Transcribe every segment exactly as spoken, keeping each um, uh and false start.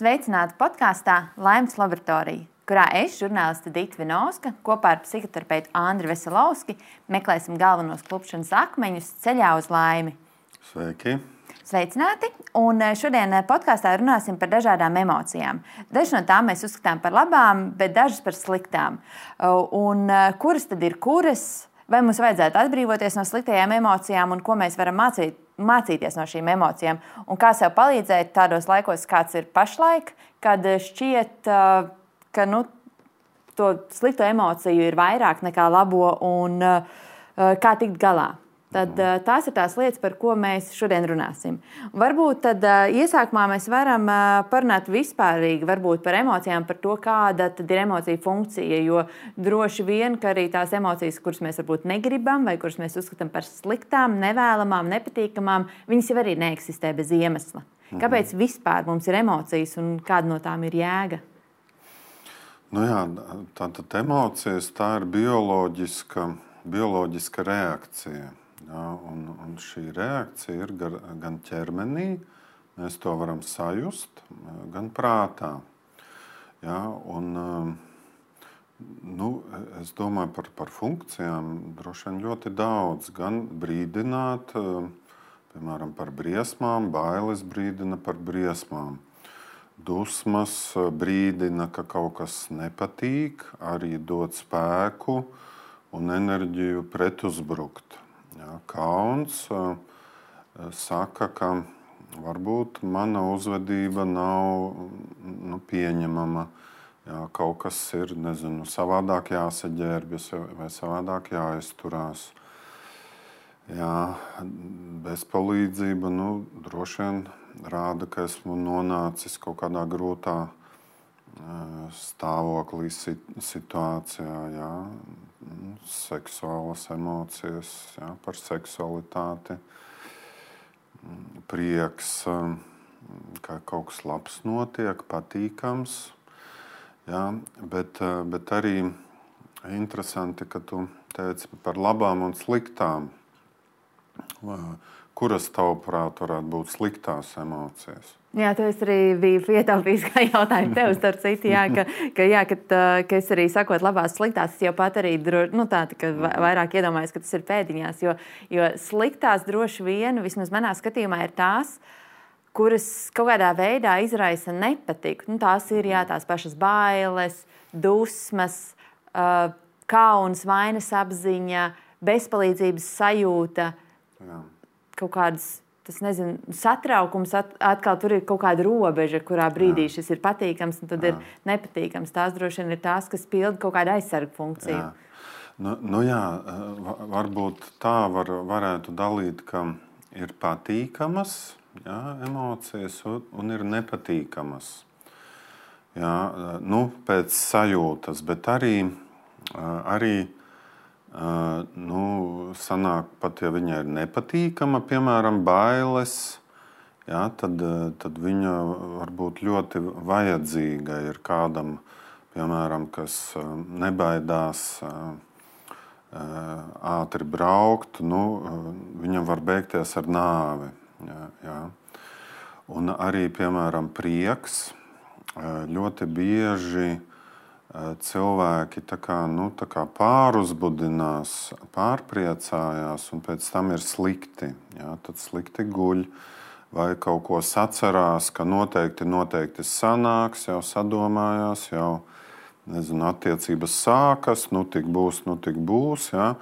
Sveicināti podkāstā Laimes laboratorija, kurā es, žurnāliste Dita Vinovska, kopā ar psihoterapeitu Andri Veselovski meklēsim galvenos klupšanas akmeņus ceļā uz laimi. Sveiki! Sveicināti! Un šodien podkāstā runāsim par dažādām emocijām. Dažas no tām mēs uzskatām par labām, bet dažas par sliktām. Un kuras tad ir kuras? Vai mums vajadzētu atbrīvoties no sliktajām emocijām un ko mēs varam mācīt, mācīties no šīm emocijām? Un kā sev palīdzēt tādos laikos, kāds ir pašlaik, kad šķiet, ka nu, to slikto emociju ir vairāk nekā labo un kā tikt galā? Tad tās ir tās lietas, par ko mēs šodien runāsim. Varbūt tad iesākumā mēs varam parunāt vispārīgi varbūt par emocijām, par to, kāda tad ir emocija funkcija, jo droši vien, ka arī tās emocijas, kuras mēs varbūt negribam vai kuras mēs uzskatām par sliktām, nevēlamām, nepatīkamām, viņas jau arī neeksistē bez iemesla. Kāpēc vispār mums ir emocijas un kāda no tām ir jēga? Nu jā, tātad emocijas, tā ir bioloģiska, bioloģiska reakcija. Jā, un, un šī reakcija ir gar, gan ķermenī, mēs to varam sajust, gan prātā. Jā, un, nu, es domāju par, par funkcijām droši vien ļoti daudz. Gan brīdināt, piemēram, par briesmām, bailes brīdina par briesmām. Dusmas brīdina, ka kaut kas nepatīk, arī dod spēku un enerģiju pretuzbrukt. Jā, kauns uh, saka, ka varbūt mana uzvedība nav nu, pieņemama. Jā, kaut kas ir, nezinu, savādāk jāsaģērbjas vai savādāk jāizturās. Jā, bezpalīdzība nu, droši vien rāda, ka esmu nonācis kaut kādā grūtā uh, stāvoklī, situācijā. Jā. Seksuālas emocijas, jā, par seksualitāti, prieks, ka kaut kas labs notiek, patīkams. Jā, bet, bet arī interesanti, ka tu teici par labām un sliktām. Kuras tavuprāt varētu būt sliktās emocijas? Jā, to es arī biju ietaupījis kā jautājumu tev, starp citu, jā, ka, ka, jā, ka, ka es arī sakot labās sliktās, es jau pat arī nu, tā, ka vairāk iedomājos, ka tas ir pēdiņās, jo, jo sliktās droši vien, vismaz manā skatījumā, ir tās, kuras kaut kādā veidā izraisa nepatiku. Nu, tās ir jā, tās pašas bailes, dusmas, kauns, vainas apziņa, bezpalīdzības sajūta, jā. Kaut kādas tas, nezinu, satraukums, at, atkal tur ir kaut kāda robeža, kurā brīdī jā. Šis ir patīkams un tad jā. Ir nepatīkams. Tās droši vien ir tās, kas pilda kaut kādu aizsargu funkciju. Jā. Nu, nu jā, varbūt tā var, varētu dalīt, ka ir patīkamas jā, emocijas un, un ir nepatīkamas. Jā, nu, pēc sajūtas, bet arī, arī Uh, nu, sanāk pat, ja viņa ir nepatīkama, piemēram, bailes, jā, tad, tad viņa var būt ļoti vajadzīga ir kādam, piemēram, kas nebaidās uh, ātri braukt, nu, viņam var beigties ar nāvi. Jā, jā. Un arī, piemēram, prieks ļoti bieži cilvēki tā kā, nu, tā kā pāruzbudinās, pārpriecājās un pēc tam ir slikti. Jā, tad slikti guļ vai kaut ko sacerās, ka noteikti, noteikti sanāks, jau sadomājās, jau, nezinu, attiecības sākas, nu tik būs, nu tik būs, jā.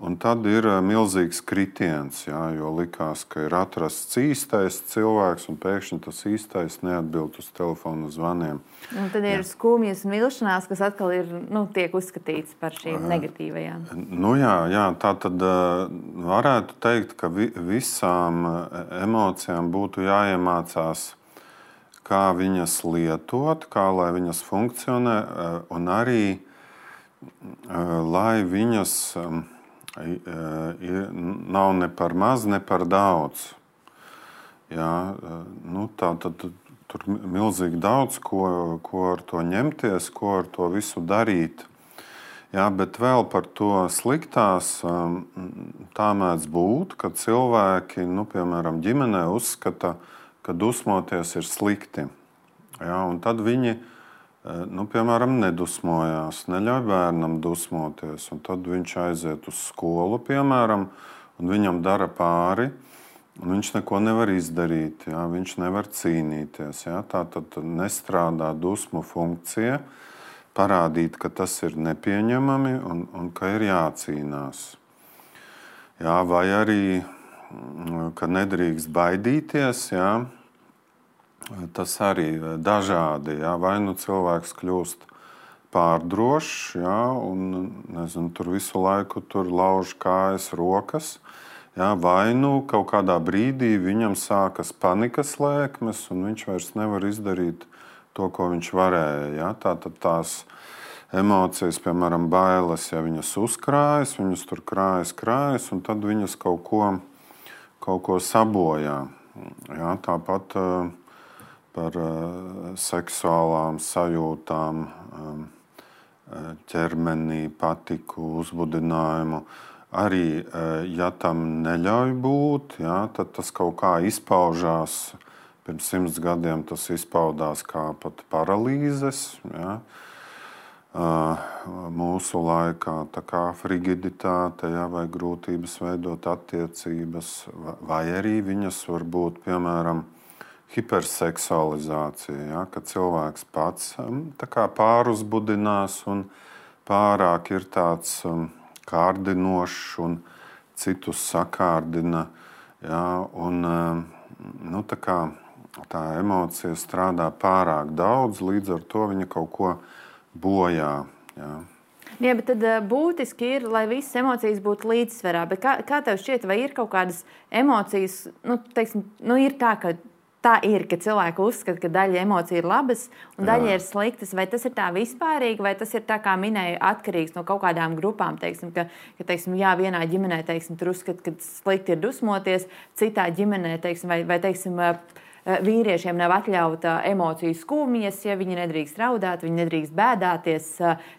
Un tad ir milzīgs kritiens, jā, jo likās, ka ir atrasts īstais cilvēks un pēkšņi tas īstais neatbild uz telefonu zvaniem. Un tad ir jā. Skumjas un vilšanās, kas atkal ir, nu, tiek uzskatīts par šīm negatīvajām. Nu jā, jā, tā tad varētu teikt, ka vi, visām emocijām būtu jāiemācās, kā viņas lietot, kā lai viņas funkcionē un arī, lai viņas nav ne par maz, ne par daudz. Jā, nu, tā tad tur milzīgi daudz, ko, ko ar to ņemties, ko ar to visu darīt. Jā, bet vēl par to sliktās tā mēdz būt, ka cilvēki, nu, piemēram, ģimenē uzskata, ka dusmoties ir slikti. Jā, un tad viņi, nu, piemēram, nedusmojās, neļauj bērnam dusmoties. Un tad viņš aiziet uz skolu, piemēram, un viņam dara pāri, un viņš neko nevar izdarīt, jā, viņš nevar cīnīties. Jā. Tā tad nestrādā dusmu funkcija, parādīt, ka tas ir nepieņemami un, un ka ir jācīnās. Jā, vai arī, ka nedrīkst baidīties, jā, tas arī dažādi. Jā. Vai nu cilvēks kļūst pārdrošs, jā, un nezinu, tur visu laiku tur lauž kājas, rokas, jā, vai nu kaut kādā brīdī viņam sākas panikas lēkmes, un viņš vairs nevar izdarīt to, ko viņš varēja. Ja? Tātad tās emocijas, piemēram, bailes, ja viņas uzkrājas, viņas tur krājas, krājas, un tad viņas kaut ko, kaut ko sabojā. Ja? Tāpat uh, par uh, seksuālām sajūtām, um, ķermenī, patiku, uzbudinājumu. Arī, uh, ja tam neļauj būt, ja, tad tas kaut kā izpaužās. Pirms simts gadiem tas izpaudās kā pat paralīzes. Ja. Mūsu laikā tā kā frigiditāte, ja, vai grūtības veidot attiecības, vai arī viņas var būt, piemēram, hiperseksualizācija, ja, kad cilvēks pats tā kā pāruzbudinās un pārāk ir tāds kārdinošs un citus sakārdina. Ja, un, nu, tā kā tā emocija strādā pārāk daudz, līdz ar to viņa kaut ko bojā. Jā, jā bet tad būtiski ir, lai visas emocijas būtu līdzsvarā. Bet kā, kā tev šķiet, vai ir kaut kādas emocijas, nu, teiksim, nu ir tā, ka tā ir, ka cilvēki uzskata, ka daļa emociju ir labas un daļa jā. Ir sliktas. Vai tas ir tā vispārīgi, vai tas ir tā, kā minēju, atkarīgs no kaut kādām grupām? Teiksim, ka, ka teiksim, jā, vienā ģimenē teiksim, tur uzskata, ka slikti ir dusmoties, citā ģimenē teiksim, vai, vai teiksim, vīriešiem nav atļauta emociju skumjas, ja viņi nedrīkst raudāt, viņi nedrīkst bēdāties,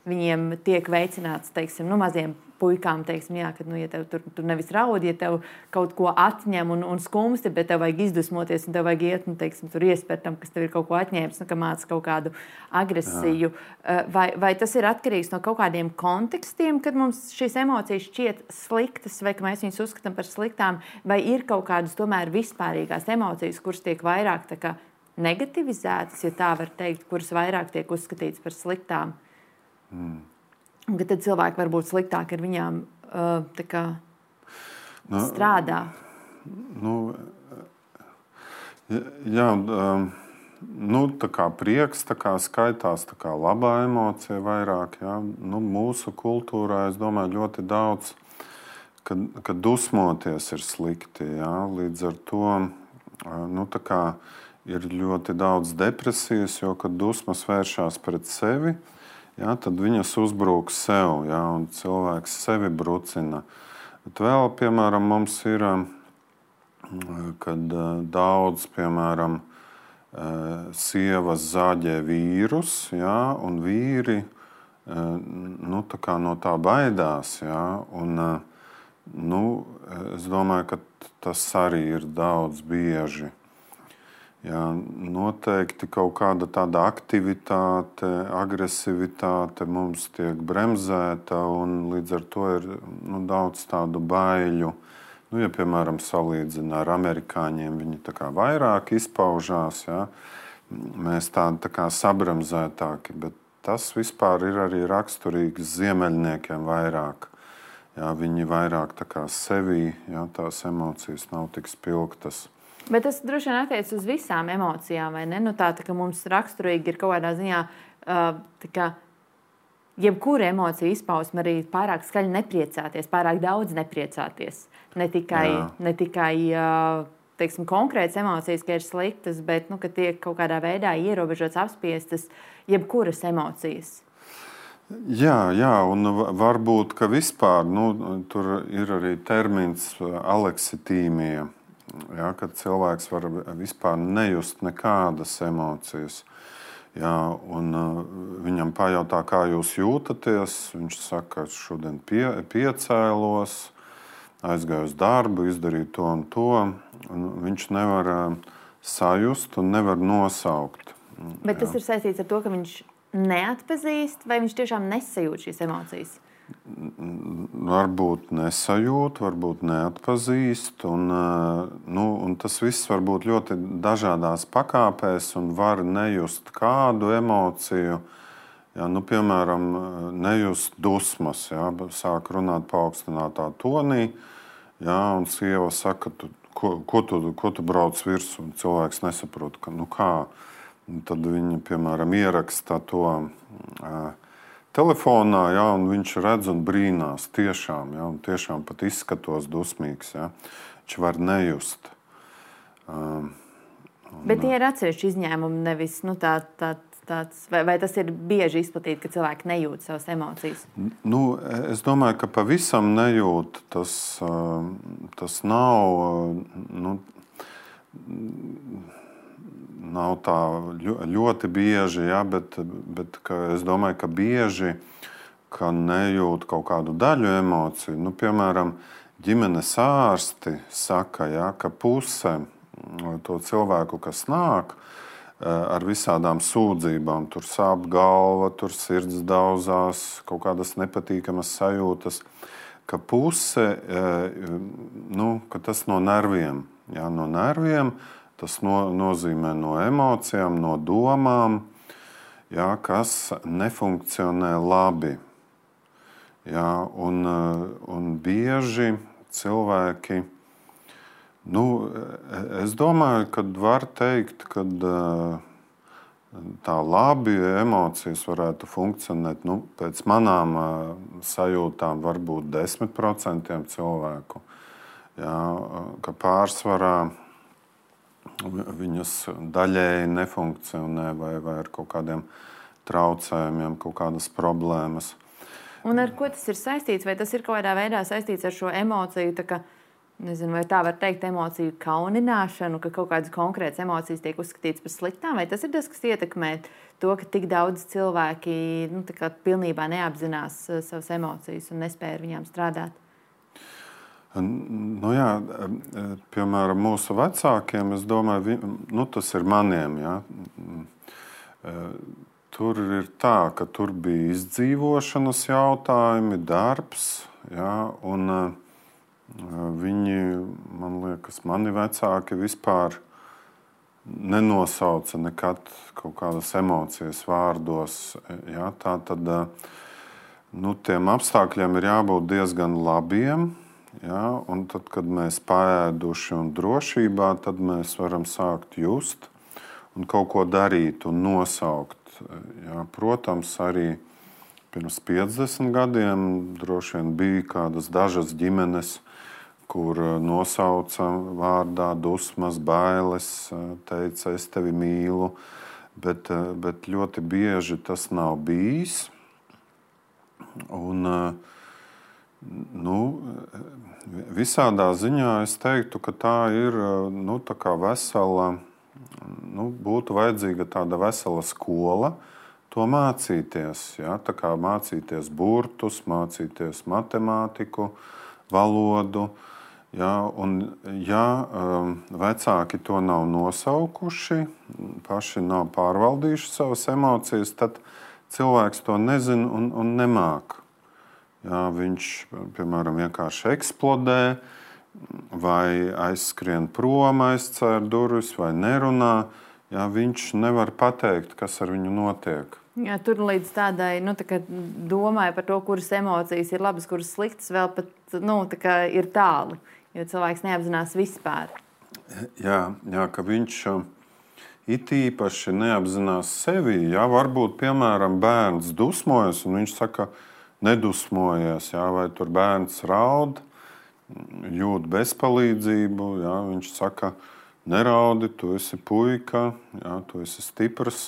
viņiem tiek veicināts, teiksim, nu, maziem puikām, teiksim, jā, ka, nu, ja tev tur, tur nevis raud, ja tev kaut ko atņem un, un skumsti, bet tev vajag izdusmoties un tev vajag iet, nu, teiksim, tur iespērt tam, kas tev ir kaut ko atņēmis, nu, ka māca kaut kādu agresiju. Vai, vai tas ir atkarīgs no kaut kādiem kontekstiem, kad mums šīs emocijas šķiet sliktas, vai ka mēs viņus uzskatām par sliktām, vai ir kaut kādas tomēr vispārīgās emocijas, kuras tiek vairāk tā kā negativizētas, ja tā var teikt, kuras vairāk tiek uzskatītas par sliktām? Mm. Un ka tad cilvēki var būt sliktāki ar viņām uh, tā kā nu, strādā. Nu, jā, um, nu, tā kā prieks tā kā skaitās tā kā labā emocija vairāk. Jā. Nu, mūsu kultūrā, es domāju, ļoti daudz, ka, ka dusmoties ir slikti. Jā. Līdz ar to nu, tā kā ir ļoti daudz depresijas, jo, kad dusmas vēršās pret sevi, ja, tad viņas uzbrūk sev, ja, un cilvēks sevi brucina. Bet vēl, piemēram, mums ir, kad daudz, piemēram, sievas zāģē vīrus, ja, un vīri nu, tā kā no tā baidās. Ja, un, nu, es domāju, ka tas arī ir daudz bieži. Jā, noteikti kaut kāda tāda aktivitāte, agresivitāte mums tiek bremzēta, un līdz ar to ir nu, daudz tādu baiļu. Nu, ja, piemēram, salīdzina ar amerikāņiem, viņi tā kā vairāk izpaužās, jā. Mēs tādi tā kā sabremzētāki, bet tas vispār ir arī raksturīgs ziemeļniekiem vairāk. Jā, viņi vairāk tā kā sevī, jā, tās emocijas nav tik spilgtas. Bet tas droši vien attiec uz visām emocijām, vai ne? Nu, tā, tā, ka mums raksturīgi ir kaut kādā ziņā, uh, tā kā jebkura emocija izpausme arī pārāk skaļi nepriecāties, pārāk daudz nepriecāties. Ne tikai, ne tikai uh, teiksim, konkrētas emocijas, ka ir sliktas, bet nu, ka tiek kaut kādā veidā ierobežotas, apspiestas jebkuras emocijas. Jā, jā, un varbūt, ka vispār, nu, tur ir arī termins aleksitīmija. Ja, kad cilvēks var vispār nejust nekādas emocijas. Ja, un, uh, viņam pajautā, kā jūs jūtaties. Viņš saka, ka šodien pie, piecēlos, aizgāju uz darbu, izdarīju to un to. Un viņš nevar uh, sajust un nevar nosaukt. Bet tas jā. Ir saistīts ar to, ka viņš neatpazīst, vai viņš tiešām nesajūt šīs emocijas? Varbūt nesajūt, varbūt neatpazīst. Un, nu, un tas viss var būt ļoti dažādās pakāpēs un var nejust kādu emociju. Jā, nu, piemēram, nejust dusmas, jā, sāk runāt paaugstinātā tonī, jā, un sieva saka, tu, ko, ko, tu, ko tu brauc virsū, un cilvēks nesaprot, ka, nu kā. Un tad viņa, piemēram, ieraksta to uh, telefonā, jā, un viņš redz un brīnās tiešām, jā, un tiešām pat izskatos dusmīgs, jā. Viņš var nejust. Uh, un, Bet tie ir atsevišķi izņēmumi, nevis, nu, tā, tā, tāds, vai, vai tas ir bieži izplatīti, ka cilvēki nejūt savas emocijas? Nu, es domāju, ka pavisam nejūt, tas, tas nav, nu, nav tā ļoti bieži, ja, bet, bet es domāju, ka bieži, ka nejūt kaut kādu daļu emociju. Nu, piemēram, ģimenes ārsti saka, ja, ka puse to cilvēku, kas nāk ar visādām sūdzībām, tur sāp galva, tur sirds daudzās, kaut kādas nepatīkamas sajūtas, ka puse, nu, ka tas no nerviem, ja, no nerviem, tas no, nozīmē no emocijām, no domām, jā, kas nefunkcionē labi. Jā, un, un bieži cilvēki, nu, es domāju, ka var teikt, ka tā labi emocijas varētu funkcionēt, nu, pēc manām sajūtām varbūt desmit procenti cilvēku. Jā, ka pārsvarā viņas daļēji nefunkcionē vai, vai ar kaut kādiem traucējumiem, kaut kādas problēmas. Un ar ko tas ir saistīts? Vai tas ir kaut kādā veidā saistīts ar šo emociju, tā kā, nezinu, vai tā var teikt, emociju kaunināšanu, ka kaut kādas konkrētas emocijas tiek uzskatītas par sliktām? Vai tas ir tas, kas ietekmē to, ka tik daudz cilvēki, nu, tā kā pilnībā neapzinās savas emocijas un nespēja ar viņām strādāt? Nu jā, piemēram, mūsu vecākiem, es domāju, nu, tas ir maniem, jā. Tur ir tā, ka tur bija izdzīvošanas jautājumi, darbs, jā, un viņi, man liekas, mani vecāki vispār nenosauca nekad kaut kādas emocijas vārdos, jā. Tā tad, nu, tiem apstākļiem ir jābūt diezgan labiem. Ja, un tad, kad mēs paēduši un drošībā, tad mēs varam sākt just un kaut ko darīt un nosaukt. Ja, protams, arī pirms piecdesmit gadiem droši vien bija kādas dažas ģimenes, kur nosauca vārdā dusmas, bailes, teica, es tevi mīlu, bet, bet ļoti bieži tas nav bijis. Un, nu, visādā ziņā es teiktu, ka tā ir, nu, tā kā vesela, nu, būtu vajadzīga tāda vesela skola to mācīties. Ja? Tā kā mācīties burtus, mācīties matemātiku, valodu. Ja? Un, ja vecāki to nav nosaukuši, paši nav pārvaldījuši savas emocijas, tad cilvēks to nezina un, un nemāk. Jā, viņš, piemēram, vienkārši eksplodē, vai aizskrien prom, aizcēr durvis, vai nerunā. Jā, viņš nevar pateikt, kas ar viņu notiek. Jā, tur līdz tādai, nu, tā kā domāju par to, kuras emocijas ir labas, kuras sliktas, vēl pat, nu, tā kā ir tālu, jo cilvēks neapzinās vispār. Jā, jā, ka viņš it īpaši neapzinās sevi. Jā, varbūt, piemēram, bērns dusmojas, un viņš saka, nedusmojies, jā, vai tur bērns raud, jūt bezpalīdzību, jā, viņš saka, neraudi, tu esi puika, jā, tu esi stiprs.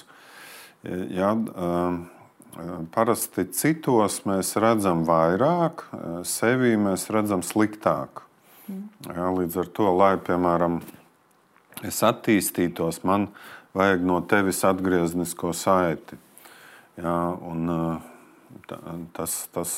Jā, parasti citos mēs redzam vairāk, sevī mēs redzam sliktāk. Jā, līdz ar to, lai, piemēram, es attīstītos, man vajag no tevis atgrieznisko saiti. Jā, un Tas, tas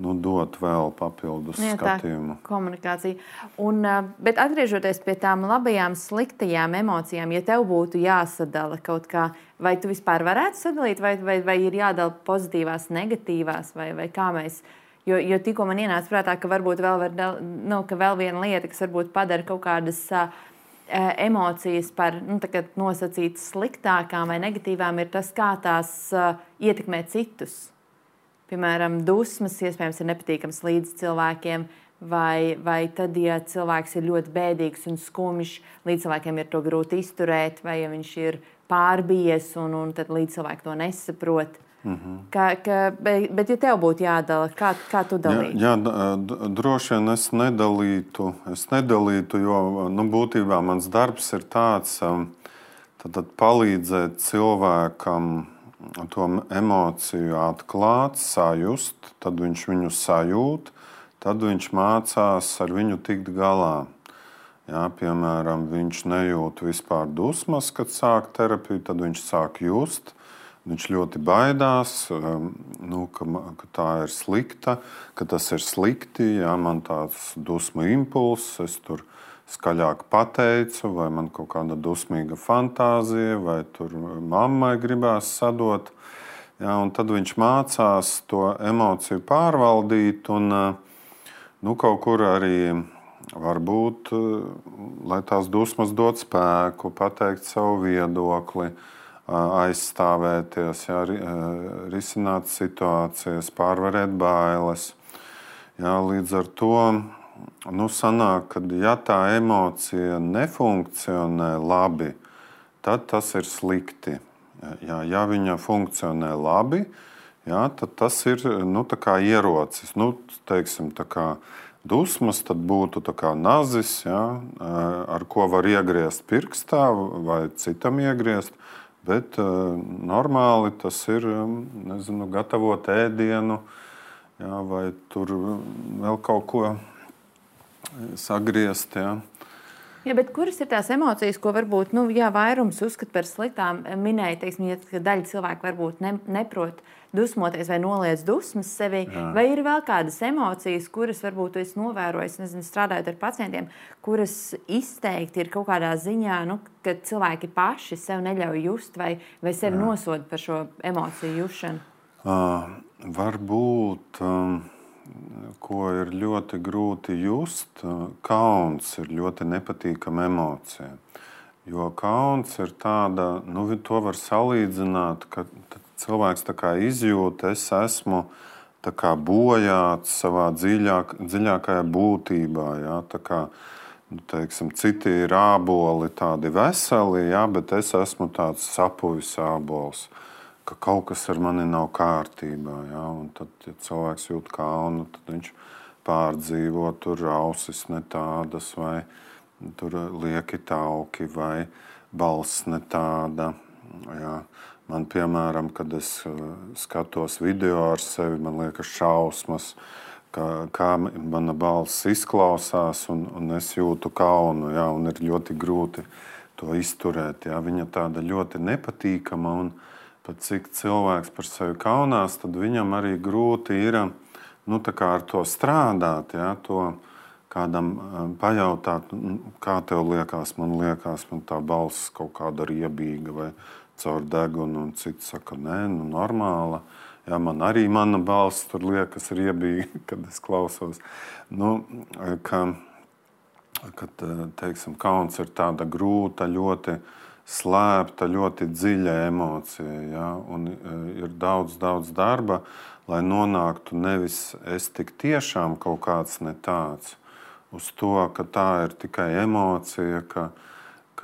nu, dot vēl papildus Jā, tā skatījumu. Komunikācija. Un, bet atgriežoties pie tām labajām, sliktajām emocijām, ja tev būtu jāsadala kaut kā, vai tu vispār varētu sadalīt, vai, vai, vai ir jādala pozitīvās, negatīvās, vai, vai kā mēs... Jo, jo tikko man ienāca prātā, ka varbūt vēl, var, nu, ka vēl viena lieta, kas varbūt padara kaut kādas uh, emocijas par nu, nosacītas sliktākām vai negatīvām, ir tas, kā tās uh, ietekmē citus. Piemēram, dusmas iespējams ir nepatīkams līdz cilvēkiem, vai, vai tad, ja cilvēks ir ļoti bēdīgs un skumjš, līdz cilvēkiem ir to grūti izturēt, vai ja viņš ir pārbijies un, un tad līdz cilvēki to nesaprot. Mm-hmm. Ka, ka, bet, bet, ja tev būtu jādala, kā, kā tu dalītu? Jā, jā, droši vien es nedalītu, es nedalītu, jo nu, būtībā mans darbs ir tāds, tad, tad palīdzēt cilvēkam to emociju atklāt, sajust, tad viņš viņu sajūt, tad viņš mācās ar viņu tikt galā. Jā, piemēram, viņš nejūt vispār dusmas, kad sāk terapiju, tad viņš sāk just. Viņš ļoti baidās, nu, ka, ka tā ir slikta, ka tas ir slikti, jā, man tāds dusmu impulss, es tur skaļāk pateicu, vai man kaut kāda dusmīga fantāzija, vai tur mammai gribās sadot. Jā, un tad viņš mācās to emociju pārvaldīt un nu, kaut kur arī varbūt, lai tās dusmas dod spēku, pateikt savu viedokli, aizstāvēties, jā, risināt situācijas, pārvarēt bailes. Jā, līdz ar to nu, sanāk, ka ja tā emocija nefunkcionē labi, tad tas ir slikti. Jā, ja viņa funkcionē labi, jā, tad tas ir nu, tā kā ierocis. Nu, teiksim, tā kā dusmas tad būtu tā kā nazis, jā, ar ko var iegriezt pirkstā vai citam iegriezt. Bet uh, normāli tas ir, nezinu, gatavot ēdienu, jā, vai tur vēl kaut ko sagriezt. Jā. Jā, bet kuras ir tās emocijas, ko varbūt nu, jā, vairums uzskata par sliktām? Minēja, teiksim, ja daļa cilvēku varbūt ne, neprot dusmoties vai noliedz dusmas sevi. Jā. Vai ir vēl kādas emocijas, kuras varbūt tu esi novērojis, nezinu, strādājot ar pacientiem, kuras izteikti ir kaut kādā ziņā, nu, ka cilvēki paši sev neļauj just vai, vai sevi Jā. Nosoda par šo emociju jušanu? Uh, varbūt, um, ko ir ļoti grūti just, uh, kauns ir ļoti nepatīkama emocija. Jo kauns ir tāda, nu, to var salīdzināt, ka cilvēks tā kā izjūt, es esmu tā kā bojāts savā dziļāk, dziļākajā būtībā. Jā, tā kā, nu, teiksim, citi ir āboli tādi veseli, jā, bet es esmu tāds sapuvis ābols, ka kaut kas ar mani nav kārtībā. Jā, un tad, ja cilvēks jūt kaunu, tad viņš pārdzīvo, tur ausis ne tādas, vai tur lieki tauki, vai balss ne tāda. Jā. Man, piemēram, kad es skatos video ar sevi, man liekas šausmas, kā, kā mana balss izklausās, un, un es jūtu kaunu, jā, un ir ļoti grūti to izturēt. Jā. Viņa tāda ļoti nepatīkama, un pat cik cilvēks par sevi kaunās, tad viņam arī grūti ir nu, tā kā ar to strādāt, jā, to kādam pajautāt, kā tev liekas, man liekas, man tā balss kaut kāda riebīga vai caur degunu, un cits saka, nē, nu normāla. Jā, man arī mana balss tur liekas riebīga, kad es klausos. Nu, ka, kad, teiksim, kauns ir tāda grūta, ļoti slēpta, ļoti dziļa emocija, jā, un ir daudz, daudz darba, lai nonāktu nevis es tik tiešām kaut kāds ne tāds, uz to, ka tā ir tikai emocija, ka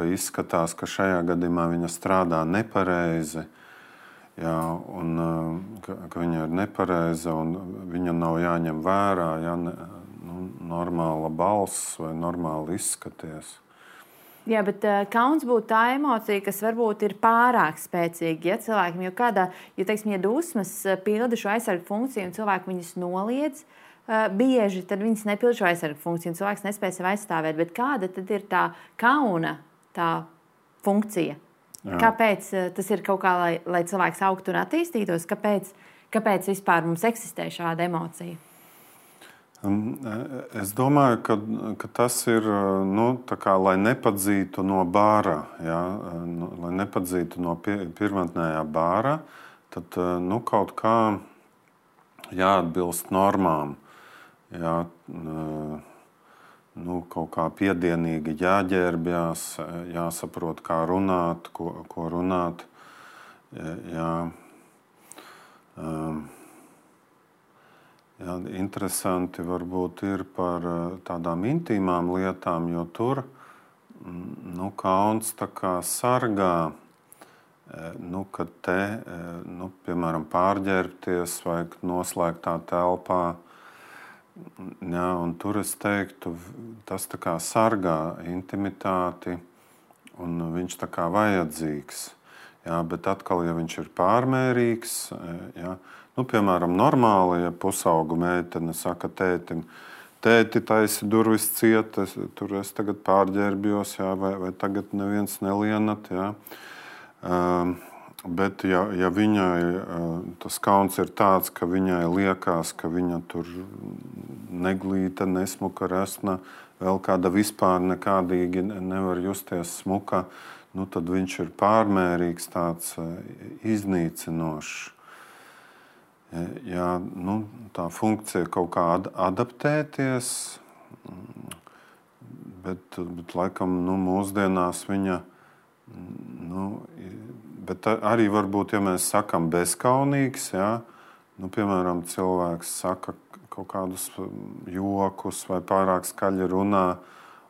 ka izskatās, ka šajā gadījumā viņa strādā nepareizi, jā, un ka, ka viņa ir nepareiza un viņa nav jāņem vērā, jā, ne, nu, normāla balss vai normāli izskaties. Jā, bet uh, kauns būtu tā emocija, kas varbūt ir pārāk spēcīga, ja cilvēkiem, jo kādā, ja, teiksim, ja dusmas pilda šo aizsargu funkciju un cilvēku viņas noliedz, uh, bieži tad viņas nepilda šo aizsargu funkciju un cilvēks nespēj sevi aizstāvēt, bet kāda tad ir tā kauna tā funkcija? Jā. Kāpēc tas ir kaut kā, lai, lai cilvēks augtu un attīstītos? Kāpēc, kāpēc vispār mums eksistē šāda emocija? Es domāju, ka, ka tas ir, nu, tā kā, lai nepadzītu no bāra, ja, nu, lai nepadzītu no pie, pirmotnējā bāra, tad nu, kaut kā jāatbilst normām. Jā, nu, kaut kā piedienīgi jāģērbjās, jāsaprot, kā runāt, ko, ko runāt. Jā. Um, Jā, interesanti varbūt ir par tādām intīmām lietām, jo tur nu, kauns tā kā sargā, nu, kad te, nu, piemēram, pārģērbties vajag noslēgtā telpā. Jā, un tur es teiktu, tas tā kā sargā intimitāti un viņš tā kā vajadzīgs. Jā, bet atkal, ja viņš ir pārmērīgs, jā, nu, piemēram, normāli, ja pusaugu meitene saka tētim, tēti, taisi durvis ciet, es, tur es tagad pārģērbjos, jā, vai, vai tagad neviens nelienat. Jā. Um, bet, ja, ja viņai tas kauns ir tāds, ka viņai liekas, ka viņa tur neglīta, nesmuka, resna, vēl kāda vispār nekādīgi nevar justies smuka, nu, tad viņš ir pārmērīgs, tāds iznīcinošs. Jā, nu, tā funkcija kaut kā adaptēties, bet, bet laikam nu, mūsdienās viņa, nu, bet arī varbūt, ja mēs sakam bezkaunīgs, jā, nu, piemēram, cilvēks saka kaut kādus jokus vai pārāk skaļi runā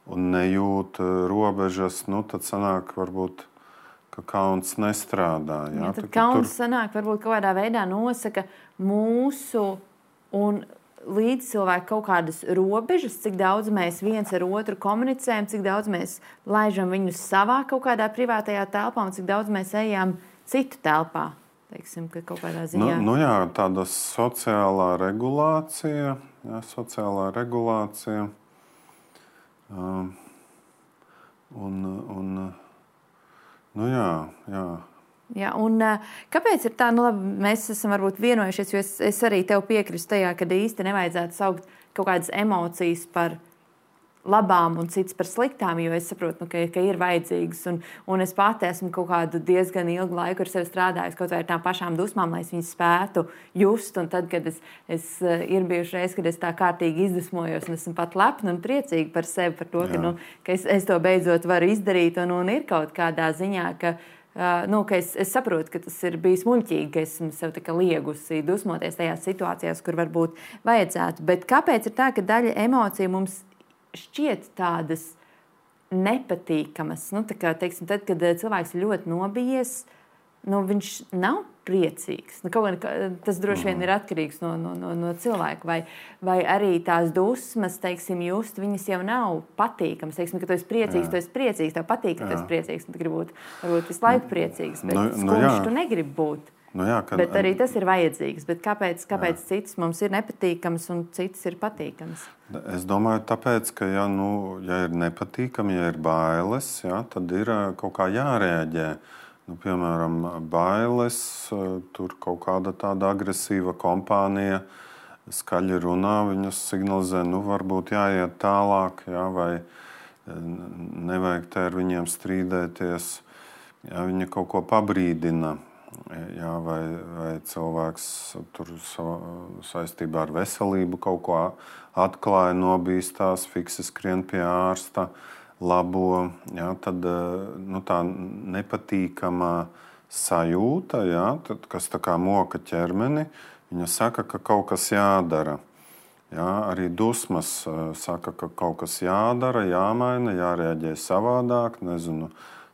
un nejūt robežas, nu, tad sanāk varbūt, ka kauns nestrādā. Jā, jā, tad kauns tur... sanāk varbūt kaut kādā veidā nosaka mūsu un līdzcilvēku kaut kādas robežas, cik daudz mēs viens ar otru komunicējam, cik daudz mēs laižam viņus savā kaut kādā privātajā telpā un cik daudz mēs ejam citu telpā. Teiksim, ka kaut kādā ziņā. Nu, nu jā, tāda sociālā regulācija, jā, sociālā regulācija. Um, un, un Nu jā, jā. Jā, un kāpēc ir tā, nu labi, mēs esam varbūt vienojušies, jo es, es arī tev piekrīstu tajā, ka īsti nevajadzētu saukt kaut kādas emocijas par labām un citas par sliktām, jo es saprotu, nu, ka, ka ir vajadzīgas. Un, un es pati esmu kaut kādu diezgan ilgu laiku ar sevi strādājusi, kaut vai ar tām pašām dusmām, lai es viņas spētu just. Un tad, kad es, es ir bijuši reiz, kad es tā kārtīgi izdusmojos un esmu pat lepna un priecīga par sevi, par to, ka, nu, ka es, es to beidzot varu izdarīt. Un, un ir kaut kādā ziņā, ka, uh, nu, ka es, es saprotu, ka tas ir bijis muļķīgi, ka esmu sev tā kā liegusi dusmoties tajās situācijās, kur varbūt vajadzētu. Bet kāpēc ir tā, ka daļa emociju mums šķiet tādas nepatīkamas? Nu, tā kā, teiksim, tad, kad cilvēks ir ļoti nobijies, nu, viņš nav priecīgs. Nu, kaut kā, tas droši vien ir atkarīgs no, no, no, no cilvēka. Vai, vai arī tās dusmas, teiksim, just, viņas jau nav patīkamas. Teiksim, ka tu esi priecīgs, jā. tu esi priecīgs, tev patīk, ka tu esi priecīgs. Tu gribi būt varbūt visu laiku priecīgs, bet nu, skumjš nu, tu negribi būt. Nu jā, kad, bet arī tas ir vajadzīgs. Bet kāpēc, kāpēc citas mums ir nepatīkamas un citas ir patīkamas? Es domāju, tāpēc, ka ja, nu, ja ir nepatīkami, ja ir bailes, ja, tad ir kaut kā jārēģē. Nu, piemēram, bailes, tur kaut kāda tāda agresīva kompānija skaļi runā, viņas signalizē, nu varbūt jāiet tālāk, ja, vai nevajag te ar viņiem strīdēties. Ja, viņi kaut ko pabrīdina. Jā, vai, vai cilvēks tur saistībā ar veselību kaut ko atklāja, nobīstās, fiksi skrien pie ārsta, labo. Jā, tad nu, tā nepatīkamā sajūta, jā, tad, kas tā kā moka ķermeni, viņa saka, ka kaut kas jādara. Jā, arī dusmas saka, ka kaut kas jādara, jāmaina, jārēģē savādāk, nezinu,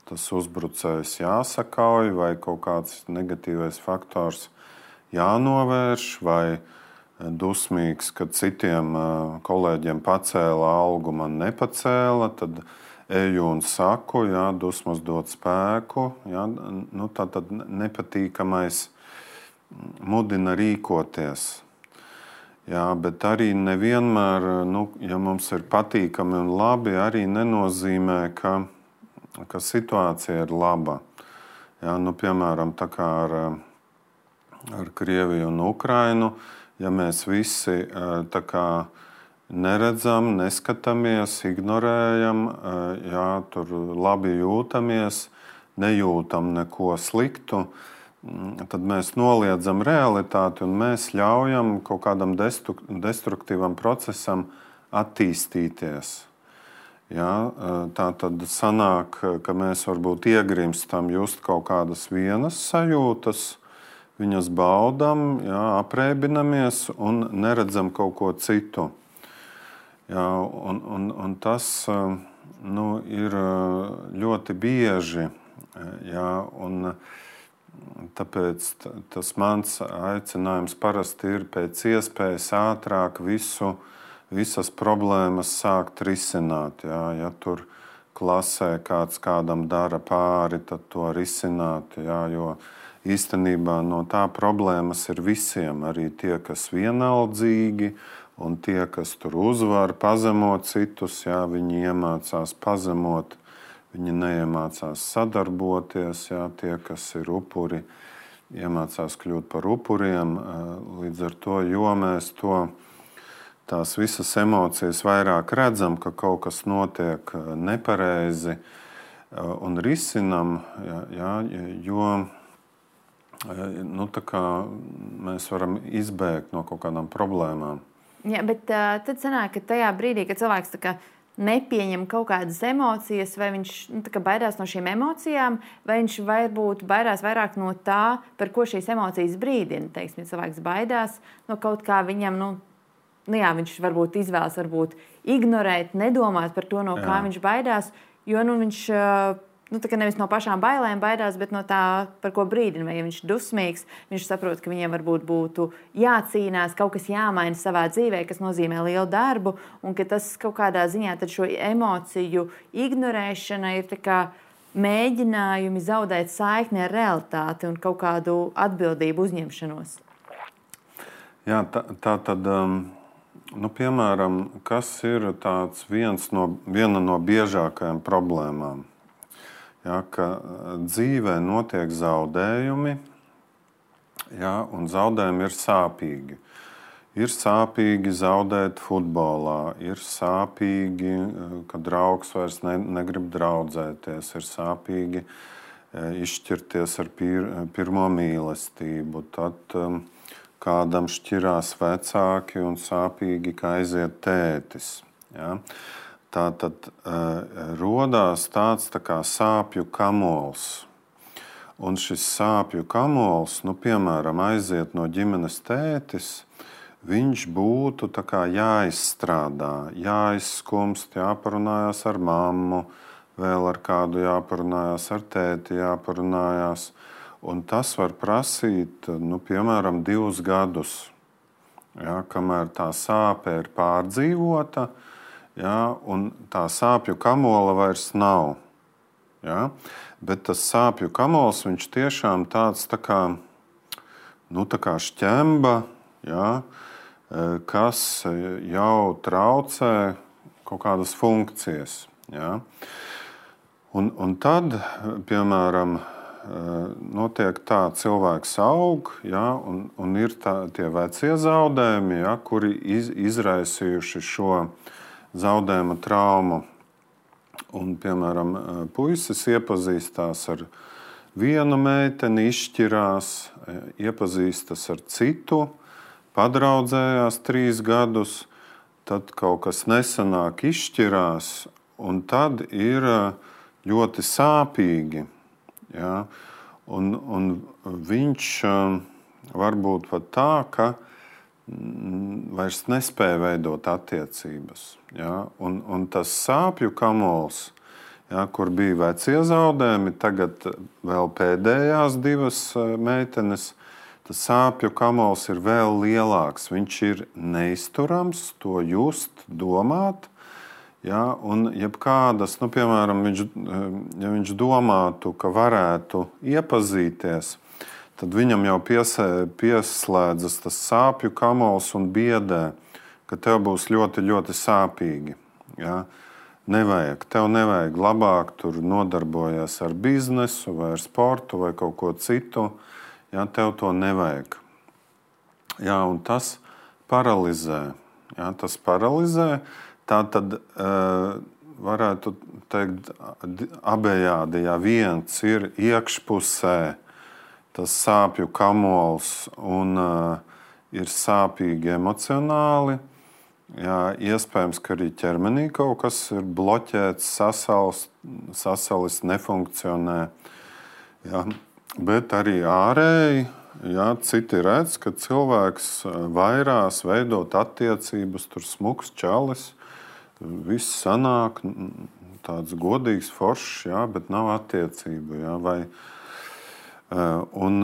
tas uzbrucējs jāsakauj, vai kaut kāds negatīvais faktors jānovērš, vai dusmīgs, kad citiem kolēģiem pacēla algu, man nepacēla, tad eju un saku, jā, dusmas dod spēku. Jā, nu, tā tad nepatīkamais mudina rīkoties. Jā, bet arī nevienmēr, nu, ja mums ir patīkami un labi, arī nenozīmē, ka ka situācija ir laba. Jā, nu, piemēram, tā kā ar, ar Krieviju un Ukrainu, ja mēs visi tā kā neredzam, neskatāmies, ignorējam, jā, tur labi jūtamies, nejūtam neko sliktu, tad mēs noliedzam realitāti un mēs ļaujam kaut kādam destruktīvam procesam attīstīties. Jā, tā tad sanāk, ka mēs varbūt iegrimstam just kaut kādas vienas sajūtas, viņas baudam, jā, apreibinamies un neredzam kaut ko citu. Jā, un, un, un tas nu, ir ļoti bieži. Jā, un tāpēc tas mans aicinājums parasti ir pēc iespējas ātrāk visu, visas problēmas sākt risināt. Jā, ja tur klasē kāds kādam dara pāri, tad to risināt. Jā, jo īstenībā no tā problēmas ir visiem, arī tie, kas vienaldzīgi, un tie, kas tur uzvar, pazemot citus, jā, viņi iemācās pazemot, viņi neiemācās sadarboties, jā, tie, kas ir upuri, iemācās kļūt par upuriem. Līdz ar to, jo mēs to, tās visas emocijas vairāk redzam, ka kaut kas notiek nepareizi un risinam, jā, jā, jo nu, tā kā mēs varam izbēgt no kaut kādām problēmām. Jā, bet uh, tad sanāk, ka tajā brīdī, kad cilvēks tā kā nepieņem kaut kādas emocijas, vai viņš nu, tā kā baidās no šīm emocijām, vai viņš varbūt baidās vairāk no tā, par ko šīs emocijas brīdina. Teiksim, ja cilvēks baidās no kaut kā viņam, nu, nu jā, viņš varbūt izvēlas varbūt ignorēt, nedomāt par to, no jā. Kā viņš baidās, jo nu, viņš uh, nu, tā kā nevis no pašām bailēm baidās, bet no tā, par ko brīdina. Vai ja viņš ir dusmīgs, viņš saprot, ka viņiem varbūt būtu jācīnās, kaut kas jāmaina savā dzīvē, kas nozīmē lielu darbu, un ka tas kaut kādā ziņā tad šo emociju ignorēšana ir tā kā mēģinājumi zaudēt saikni ar realitāti un kaut kādu atbildību uzņemšanos. Jā, tā, tā tad, nu, piemēram, kas ir tāds viens no, viena no biežākajām problēmām? Ja, ka dzīvē notiek zaudējumi, ja, un zaudējumi ir sāpīgi. Ir sāpīgi zaudēt futbolā, ir sāpīgi, ka draugs vairs ne, negrib draudzēties, ir sāpīgi izšķirties ar pir, pirmo mīlestību. Tad um, kādam šķirās vecāki un sāpīgi, ka aiziet tētis. Ja. Tā tad uh, rodās tāds tā kā sāpju kamols. Un šis sāpju kamols, nu, piemēram, aiziet no ģimenes tētis, viņš būtu tā kā jāizstrādā, jāizskumst, jāparunājās ar mammu, vēl ar kādu jāparunājās, ar tēti jāparunājās. Un tas var prasīt, nu, piemēram, divus gadus, ja, kamēr tā sāpe ir pārdzīvota, ja, un tā sāpju kamola vairs nav. Ja? Bet tas sāpju kamols, viņš tiešām tāds tā kā, nu, tā kā šķemba, ja, kas jau traucē kaut kādas funkcijas. Ja? Un, un tad, piemēram, notiek tā, cilvēks aug, ja, un, un ir tā, tie vecie zaudējumi, ja, kuri iz, izraisījuši šo zaudējuma traumu. Un, piemēram, puisis iepazīstās ar vienu meiteni, izšķirās, iepazīstas ar citu, padraudzējās trīs gadus, tad kaut kas nesanāk, izšķirās, un tad ir ļoti sāpīgi. Ja? Un, un viņš var būt pat tā, ka vairs nespēja veidot attiecības. Ja? Un, un tas sāpju kamols, ja, kur bija vecie zaudējumi, tagad vēl pēdējās divas meitenes, tas sāpju kamols ir vēl lielāks. Viņš ir neizturams, to just, domāt. Ja? Un jebkādas, nu, piemēram, viņš, ja viņš domātu, ka varētu iepazīties, tad viņam jau piesē, pieslēdzas tas sāpju kamols un biedē, ka tev būs ļoti, ļoti sāpīgi. Ja? Nevajag, tev nevajag labāk tur nodarboties ar biznesu vai ar sportu vai kaut ko citu. Ja? Tev to nevajag. Ja? Un tas paralizē. jā, tas paralizē. Tā tad uh, varētu teikt abejādi, ja viens ir iekšpusē, tas sāpju kamols un uh, ir sāpīgi emocionāli. Jā, iespējams, ka arī ķermenī kaut kas ir bloķēts, sasals, sasalis, nefunkcionē. Jā, bet arī ārēji, jā, citi redz, ka cilvēks vairās veidot attiecības, tur smuks čalis, viss sanāk, tāds godīgs, foršs, jā, bet nav attiecību. Jā, vai, un,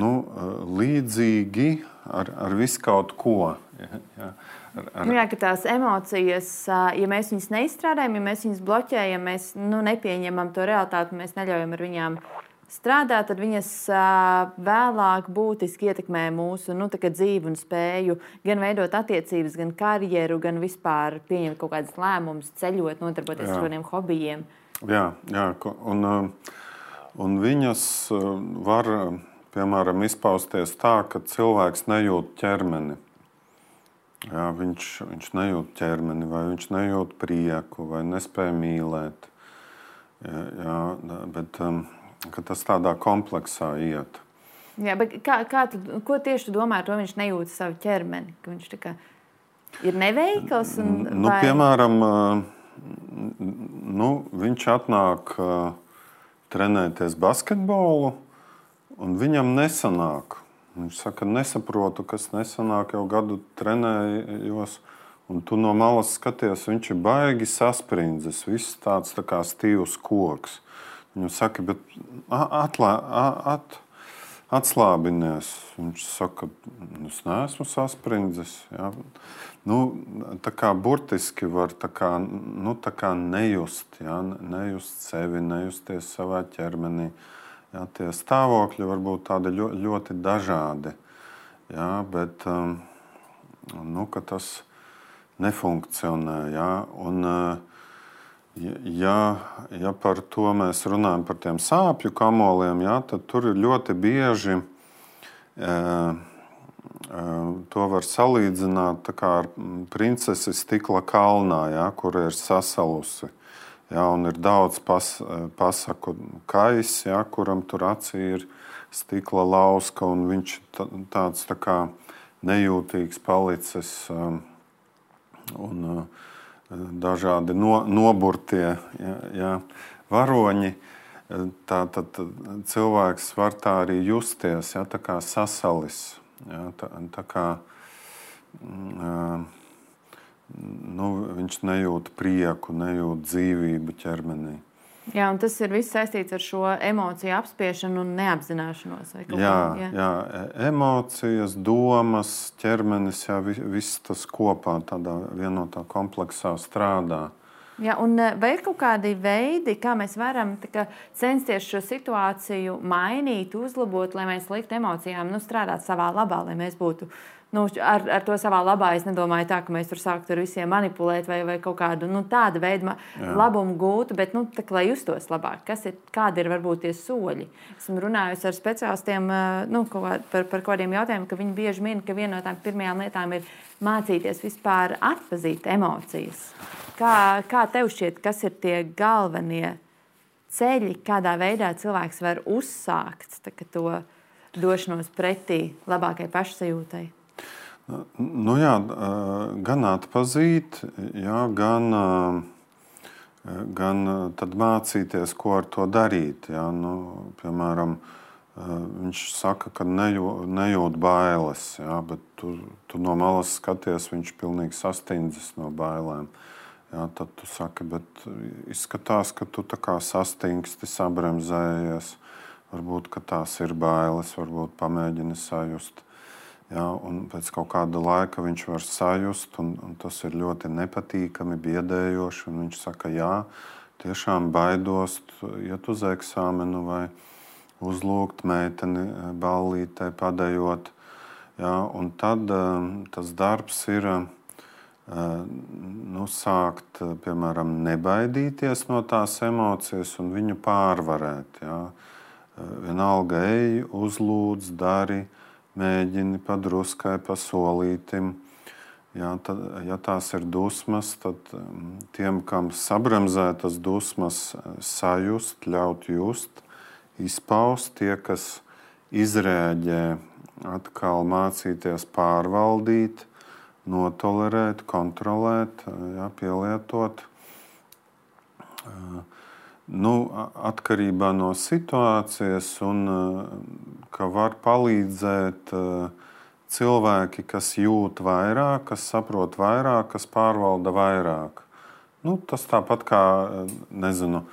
nu, līdzīgi ar, ar visu kaut ko. Jā, jā, ar, ar... jā, ka tās emocijas, ja mēs viņas neizstrādājam, ja mēs viņas bloķējam, mēs nu, nepieņemam to realitāti, mēs neļaujam ar viņām strādāt, tad viņas vēlāk būtiski ietekmē mūsu nu, dzīvi un spēju gan veidot attiecības, gan karjeru, gan vispār pieņemt kaut kādas lēmumus, ceļot, nodarboties ar kādiem hobijiem. Jā, jā un, un viņas var, piemēram, izpausties tā, ka cilvēks nejūt ķermeni. Jā, viņš, viņš nejūt ķermeni, vai viņš nejūt prieku, vai nespēja mīlēt. Jā, jā, bet um, tas tādā kompleksā iet. Jā, bet kā, kā tu, ko tieši tu domā ar to, viņš nejūt savu ķermeni? Ka viņš tā kā ir neveikls? Un, nu, vai... Piemēram, nu, viņš atnāk trenēties basketbolu, un viņam nesanāk. Viņš saka, nesaprotu, kas nesanāk, jau gadu trenējos, un tu no malas skaties, viņš ir baigi sasprindzis, viss tāds tā kā stīvs koks. Viņu saka, bet atlā, at, atslābinies. Viņš saka, es neesmu sasprindzis. Jā. Nu, tā kā burtiski var tā kā, nu, tā kā nejust, jā, nejust sevi, nejusties savā ķermenī. Jā, tie stāvokļi var būt tādi ļoti, ļoti dažādi, jā, bet um, nu, tas nefunkcionē. Jā, un, ja, ja par to mēs runājam, par tiem sāpju kamoliem, jā, tad tur ir ļoti bieži e, e, to var salīdzināt tā kā ar princesi stikla kalnā, jā, kur ir sasalusi. Jā, un ir daudz pas, pasaku kais, jā, kuram tur acī ir stikla lauska, un viņš tāds tā kā nejūtīgs palicis, un dažādi no, noburtie jā, jā, varoņi. Tā, tad cilvēks var tā arī justies, jā, tā kā sasalis. Jā, tā, tā kā, nu, viņš nejūt prieku, nejūt dzīvību ķermenī. Jā, un tas ir viss saistīts ar šo emociju apspiešanu un neapzināšanos. Vai jā, jā. jā, emocijas, domas, ķermenis, jā, viss tas kopā tādā vienotā kompleksā strādā. Jā, un vai ir kaut kādi veidi, kā mēs varam kā, censties šo situāciju mainīt, uzlabot, lai mēs liktu emocijām nu, strādāt savā labā, lai mēs būtu nu, ar, ar to savā labā. Es nedomāju tā, ka mēs tur sāktu ar visiem manipulēt vai, vai kaut kādu nu, tādu veidu labumu gūtu, bet nu, tā, lai justos labāk. Kas ir, kādi ir varbūt tie soļi? Esmu runājusi ar speciālistiem nu, par, par kādiem jautājumiem, ka viņi bieži min, ka viena no tām pirmajām lietām ir mācīties vispār atpazīt emocijas. Kā, kā tev šķiet, kas ir tie galvenie ceļi, kādā veidā cilvēks var uzsākt tā, to došanos pretī labākai pašsajūtai? Nu jā, gan atpazīt, jā, gan, gan tad mācīties, ko ar to darīt. Jā. Nu, piemēram, viņš saka, ka nejūt, nejūt bailes, jā, bet tu, tu no malas skaties, viņš pilnīgi sastindzis no bailēm. Jā, tad tu saki, bet izskatās, ka tu tā kā sastingsti, sabremzējies. Varbūt, ka tās ir bailes, varbūt pamēģini sajust. Jā, un pēc kaut kāda laika viņš var sajust, un, un tas ir ļoti nepatīkami, biedējoši. Un viņš saka, jā, tiešām baidos iet uz eksāmenu vai uzlūgt meiteni ballītē, padejot. Jā, un tad tas darbs ir nu, sākt, piemēram, nebaidīties no tās emocijas un viņu pārvarēt. Jā. Vienalga ej, uzlūdz, dari, mēģini padruskai, pasolītim. Jā, tad, ja tās ir dusmas, tad tiem, kam sabremzētas dusmas, sajust, ļaut just, izpaust, tie, kas izrēģē, atkal mācīties pārvaldīt, notolerēt, kontrolēt, jā, pielietot. Nu, atkarībā no situācijas un ka var palīdzēt cilvēki, kas jūt vairāk, kas saprot vairāk, kas pārvalda vairāk. Nu, tas tāpat kā, nezinu,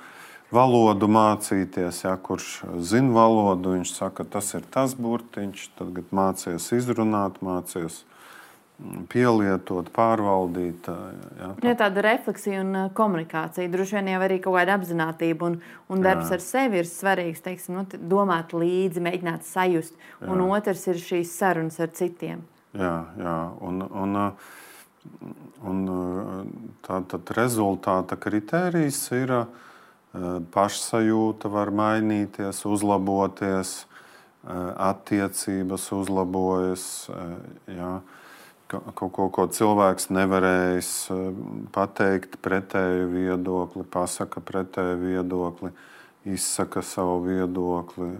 valodu mācīties, ja, kurš zina valodu, viņš saka, tas ir tas burtiņš, tagad mācies izrunāt, mācies pielietot, pārvaldīt. Ja, tā. Ja, tāda refleksija un komunikācija, droši vien jau arī kaut kāda apzinātība un, un darbs jā. Ar sevi ir svarīgs, teiksim, nu, domāt līdzi, mēģināt sajust, jā. Un otrs ir šīs sarunas ar citiem. Jā, jā, un, un, un tā tad rezultāta kritērijs ir pašsajūta var mainīties, uzlaboties, attiecības uzlabojas, jā. Kaut ko, ko cilvēks nevarējis pateikt pretēju viedokli, pasaka pretēju viedokli, izsaka savu viedokli.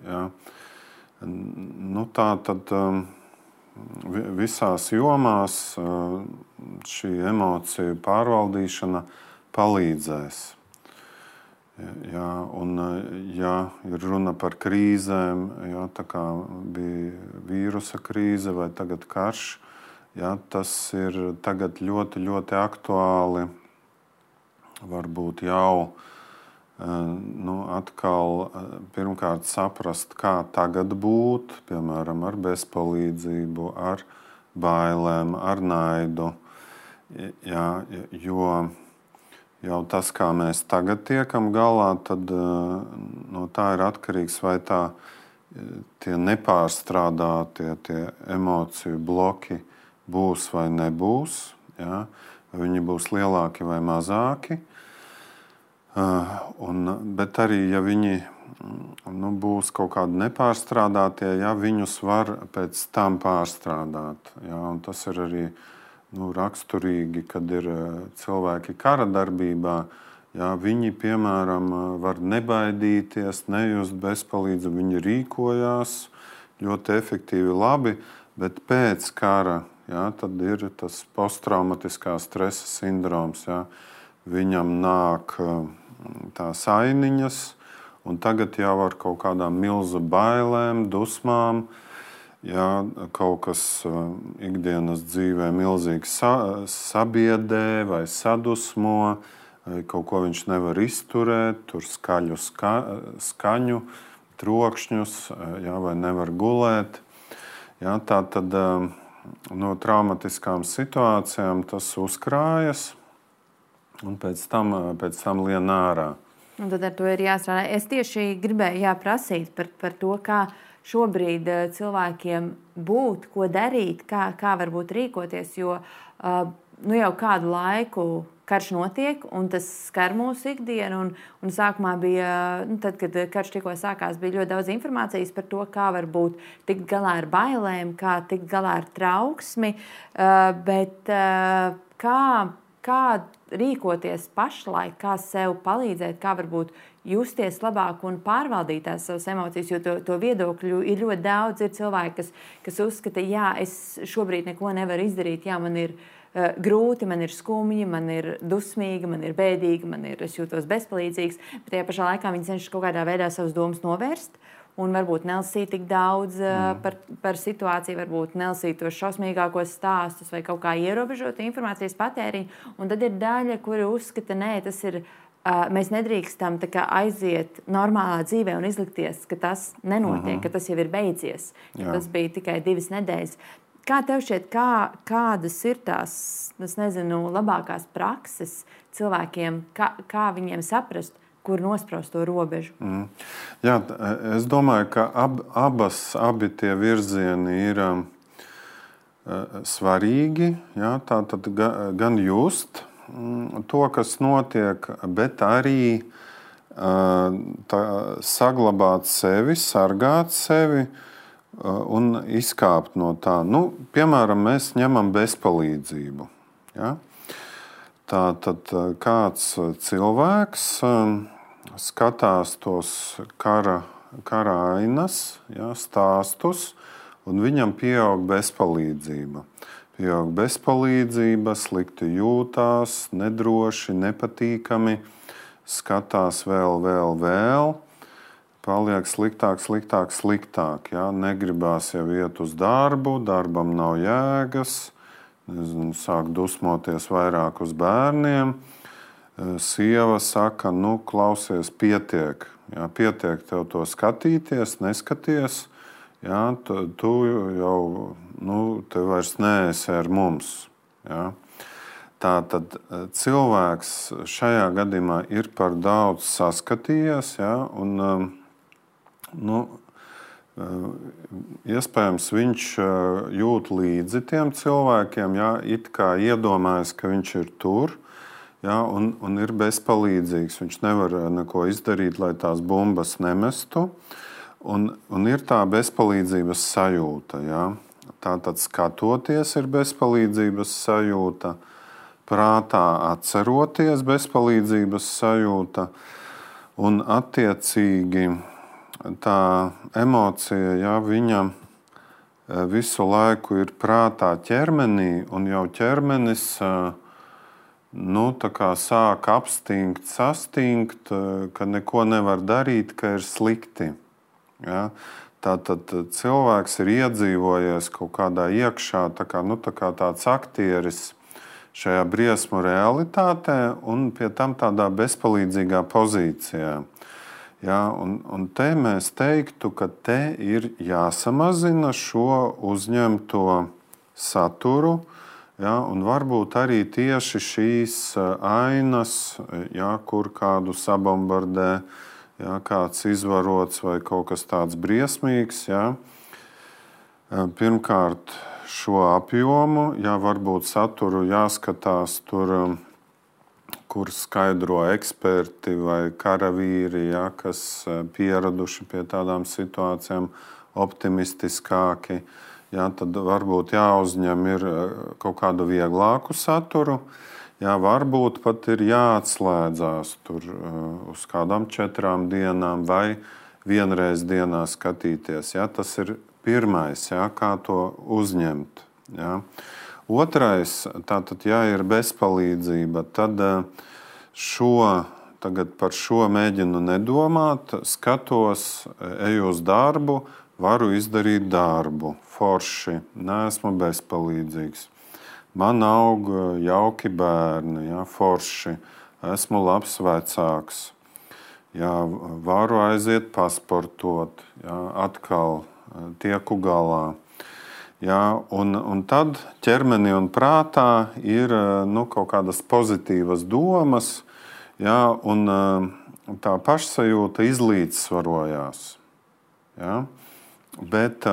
Ja. Nu, tā tad visās jomās šī emociju pārvaldīšana palīdzēs. Ja, un, ja ir runa par krīzēm, ja, tā kā bija vīrusa krīze vai tagad karš, ja, tas ir tagad ļoti, ļoti aktuāli. Varbūt jau nu, atkal pirmkārt saprast, kā tagad būt, piemēram, ar bezpalīdzību, ar bailēm, ar naidu. Ja, jo jau tas, kā mēs tagad tiekam galā, tad no tā ir atkarīgs, vai tā tie nepārstrādātie tie emociju bloki būs vai nebūs, ja? Viņi būs lielāki vai mazāki. Un, bet arī, ja viņi nu, būs kaut kādi nepārstrādātie, ja, viņus var pēc tam pārstrādāt. Ja? Un tas ir arī nu, raksturīgi, kad ir cilvēki kara darbībā. Ja? Viņi, piemēram, var nebaidīties, nejust bezpalīdzību, viņi rīkojās ļoti efektīvi, labi, bet pēc kara ja, tad ir tas posttraumatiskā stresa sindroms. Ja. Viņam nāk tās ainiņas, un tagad jau ar kaut kādām milzu bailēm, dusmām, ja, kaut kas ikdienas dzīvē milzīgi sa, sabiedē vai sadusmo, vai kaut ko viņš nevar izturēt, tur skaļu ska, skaņu, trokšņus, ja, vai nevar gulēt. Ja, tā tad no traumatiskām situācijām tas uzkrājas un pēc tam, pēc tam lien ārā. Un tad ar to ir jāstrādā. Es tieši gribēju jāprasīt par, par to, kā šobrīd cilvēkiem būt, ko darīt, kā, kā varbūt rīkoties, jo nu, jau kādu laiku karš notiek, un tas skar mūsu ikdienu. Un, un sākumā bija, nu, tad, kad karš tikko sākās, bija ļoti daudz informācijas par to, kā varbūt tikt galā ar bailēm, kā tikt galā ar trauksmi, bet kā, kā rīkoties pašlaik, kā sev palīdzēt, kā varbūt justies labāk un pārvaldīt tās savas emocijas, jo to, to viedokļu ir ļoti daudz. Ir cilvēki, kas, kas uzskata, jā, es šobrīd neko nevaru izdarīt, jā, man ir uh, grūti, man ir skumji, man ir dusmīgi, man ir bēdīgi, man ir, es jūtos bezpalīdzīgs, bet tajā pašā laikā viņi cenšas kaut kādā veidā savas domas novērst. Un varbūt nelasīt tik daudz uh, par, par situāciju, varbūt nelasīt tos šausmīgākos stāstus vai kaut kā ierobežot informācijas patēriņu. Un tad ir daļa, kuri uzskata, nē, tas ir, uh, mēs nedrīkstam tā kā aiziet normālā dzīvē un izlikties, ka tas nenotiek, uh-huh. ka tas jau ir beidzies, ka tas bija tikai divas nedēļas. Kā tev šķiet, kā, kādas ir tās, es nezinu, labākās prakses cilvēkiem, kā, kā viņiem saprast, kur nospraust to robežu? Mm. Jā, es domāju, ka ab, abas, abi tie virzieni ir um, svarīgi. Jā, tā tad ga, gan just mm, to, kas notiek, bet arī uh, tā, saglabāt sevi, sargāt sevi un izkāpt no tā. Nu, piemēram, mēs ņemam bezpalīdzību. Ja? Tā tad kāds cilvēks skatās tos kara, kara ainas, ja, stāstus, un viņam pieaug bezpalīdzība. Pieaug bezpalīdzība, slikti jūtās, nedroši, nepatīkami, skatās vēl, vēl, vēl, paliek sliktāk, sliktāk, sliktāk. Ja? Negribās jau iet uz darbu, darbam nav jēgas, nezinu, sāk dusmoties vairāk uz bērniem. Sieva saka, nu, klausies, pietiek. Ja? Pietiek tev to skatīties, neskaties. Ja, tu, tu jau nu, te vairs neesi ar mums. Ja. Tā tad cilvēks šajā gadījumā ir par daudz saskatījies, ja, un nu, iespējams viņš jūt līdzi tiem cilvēkiem, ja, it kā iedomājas, ka viņš ir tur, ja, un, un ir bezpalīdzīgs. Viņš nevar neko izdarīt, lai tās bumbas nemestu. Un, un ir tā bezpalīdzības sajūta. Ja? Tātad skatoties ir bezpalīdzības sajūta, prātā atceroties bezpalīdzības sajūta, un attiecīgi tā emocija, ja, viņa visu laiku ir prātā ķermenī, un jau ķermenis nu, tā kā sāk apstingt, sastingt, ka neko nevar darīt, ka ir slikti. Ja? Tātad cilvēks ir iedzīvojies kaut kādā iekšā, tā kā, nu, tā kā tāds aktieris šajā briesmu realitātē un pie tam tādā bezpalīdzīgā pozīcijā. Ja? Un, un te mēs teiktu, ka te ir jāsamazina šo uzņemto saturu, ja? Un varbūt arī tieši šīs ainas, ja, kur kādu sabombardē, ja, kāds izvarots vai kaut kas tāds briesmīgs. Ja. Pirmkārt, šo apjomu, ja varbūt saturu jāskatās tur, kur skaidro eksperti vai karavīri, ja, kas pieraduši pie tādām situācijām optimistiskāki. Ja, tad varbūt jāuzņem ir kaut kādu vieglāku saturu. Jā, varbūt pat ir jāatslēdzās tur uz kādām četrām dienām vai vienreiz dienā skatīties. Jā, tas ir pirmais, jā, kā to uzņemt. Jā. Otrais, tātad, ja ir bezpalīdzība, tad šo, tagad par šo mēģinu nedomāt, skatos, eju uz darbu, varu izdarīt darbu, forši, neesmu bezpalīdzīgs. Man aug jauki bērni, ja, forši, esmu labs vecāks, ja, varu aiziet pasportot, ja, atkal tieku galā. Ja, un, un tad ķermenī un prātā ir nu, kaut kādas pozitīvas domas, ja, un tā pašsajūta izlīdzsvarojās. Ja. Bet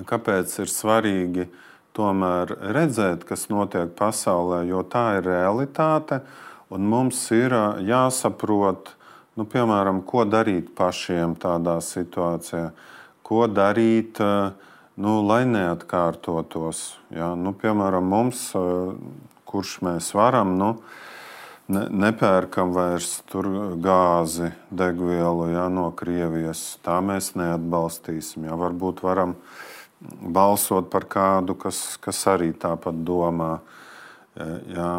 kāpēc ir svarīgi tomēr redzēt, kas notiek pasaulē, jo tā ir realitāte, un mums ir jāsaprot, nu, piemēram, ko darīt pašiem tādā situācijā, ko darīt, nu, lai neatkārtotos. Ja? Nu, piemēram, mums, kurš mēs varam, nu, ne, nepērkam vairs tur gāzi, degvielu, ja, no Krievijas, tā mēs neatbalstīsim. Ja? Varbūt varam balsot par kādu, kas, kas arī tāpat domā. Jā.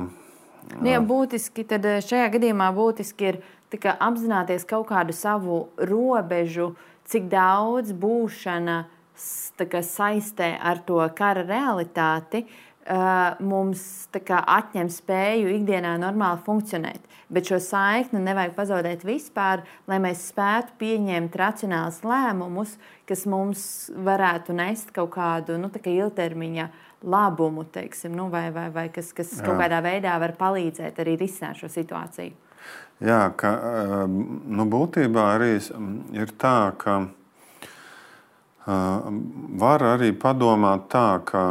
Jā, būtiski, tad šajā gadījumā būtiski ir kā, apzināties kaut kādu savu robežu, cik daudz būšana kā, saistē ar to kara realitāti mums kā, atņem spēju ikdienā normāli funkcionēt. Bet šo saikni nevajag pazaudēt vispār, lai mēs spētu pieņemt racionālus lēmumus, kas mums varētu nest kaut kādu nu, kā ilgtermiņa labumu, teiksim, nu, vai, vai, vai kas, kas kaut kādā veidā var palīdzēt arī risināt šo situāciju. Jā, ka, nu, būtībā arī ir tā, ka var arī padomāt tā, ka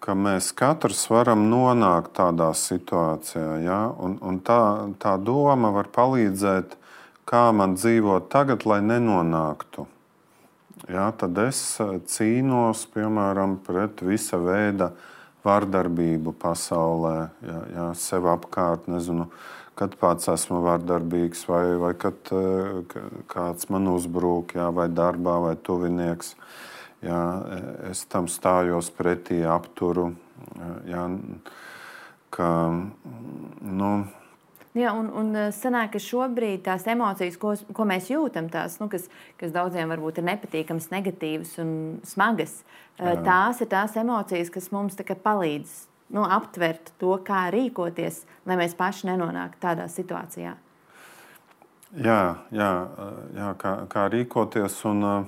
ka mēs katrs varam nonākt tādā situācijā. Ja? Un, un tā, tā doma var palīdzēt, kā man dzīvot tagad, lai nenonāktu. jā, tad es cīnos, piemēram, pret visa veida vardarbību pasaulē, jā, jā, sev apkārt, nezinu, kad pats esmu vardarbīgs, vai, vai kad kāds man uzbrūk, jā, vai darbā, vai tuvinieks. Jā, es tam stājos pretī, apturu. Jā, ka, nu, Jā, un, un sanāk, ka šobrīd tās emocijas, ko, ko mēs jūtam, tās, nu, kas, kas daudziem varbūt ir nepatīkamas, negatīvas un smagas, jā. Tās ir tās emocijas, kas mums tā kā palīdz nu, aptvert to, kā rīkoties, lai mēs paši nenonāktu tādā situācijā. Jā, jā, jā kā, kā rīkoties. Un,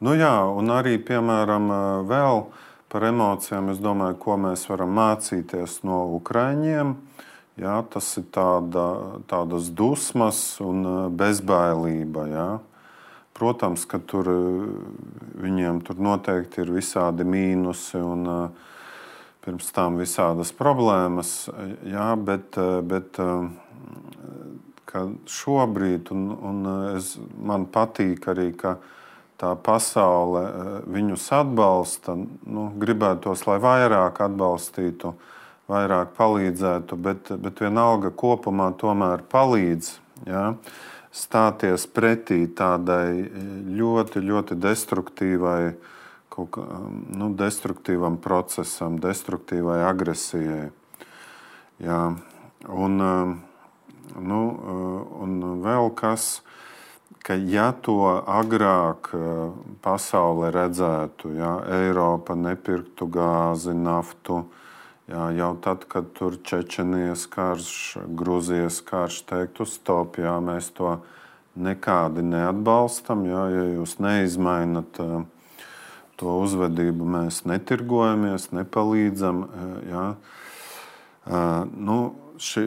nu jā, un arī, piemēram, vēl par emocijām, es domāju, ko mēs varam mācīties no Ukraiņiem. Jā, tas ir tāda, tādas dusmas un bezbailība. Jā. Protams, ka tur, viņiem tur noteikti ir visādi mīnusi un pirms tam visādas problēmas. Jā, bet, bet šobrīd, un, un es, man patīk arī, ka tā pasaule viņus atbalsta. Nu, gribētos, lai vairāk atbalstītu, vairāk palīdzētu, bet, bet vienalga kopumā tomēr palīdz, ja, stāties pretī tādai ļoti, ļoti destruktīvai, kaut kā, nu, destruktīvam procesam, destruktīvai agresijai. Ja, un, nu, un vēl kas, ka ja to agrāk pasaule redzētu, ja, Eiropa nepirktu gāzi, naftu, jā, jau tad, kad tur Čečenijas karš, Gruzijas karš teiktu stop, jā, mēs to nekādi neatbalstam, jā, ja jūs neizmainat to uzvedību, mēs netirgojamies, nepalīdzam. Jā. Nu, ši,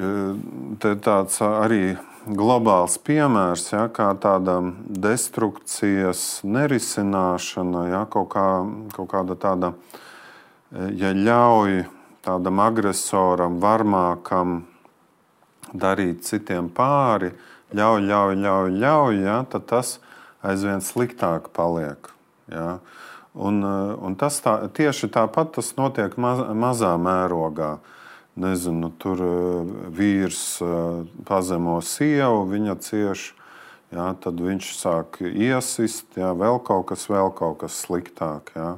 te tāds arī globāls piemērs, jā, kā tāda destrukcijas nerisināšana, jā, kaut, kā, kaut kāda tāda, ja ļauj tādam agresoram, varmākam darīt citiem pāri, ļauj, ļauj, ļauj, ļauj, ja, tad tas aizvien sliktāk paliek. Ja. Un, un tas tā, tieši tāpat tas notiek maz, mazā mērogā. Nezinu, tur vīrs pazemo sievu, viņa cieš, ja, tad viņš sāk iesist, ja, vēl kaut kas, vēl kaut kas sliktāk. Ja.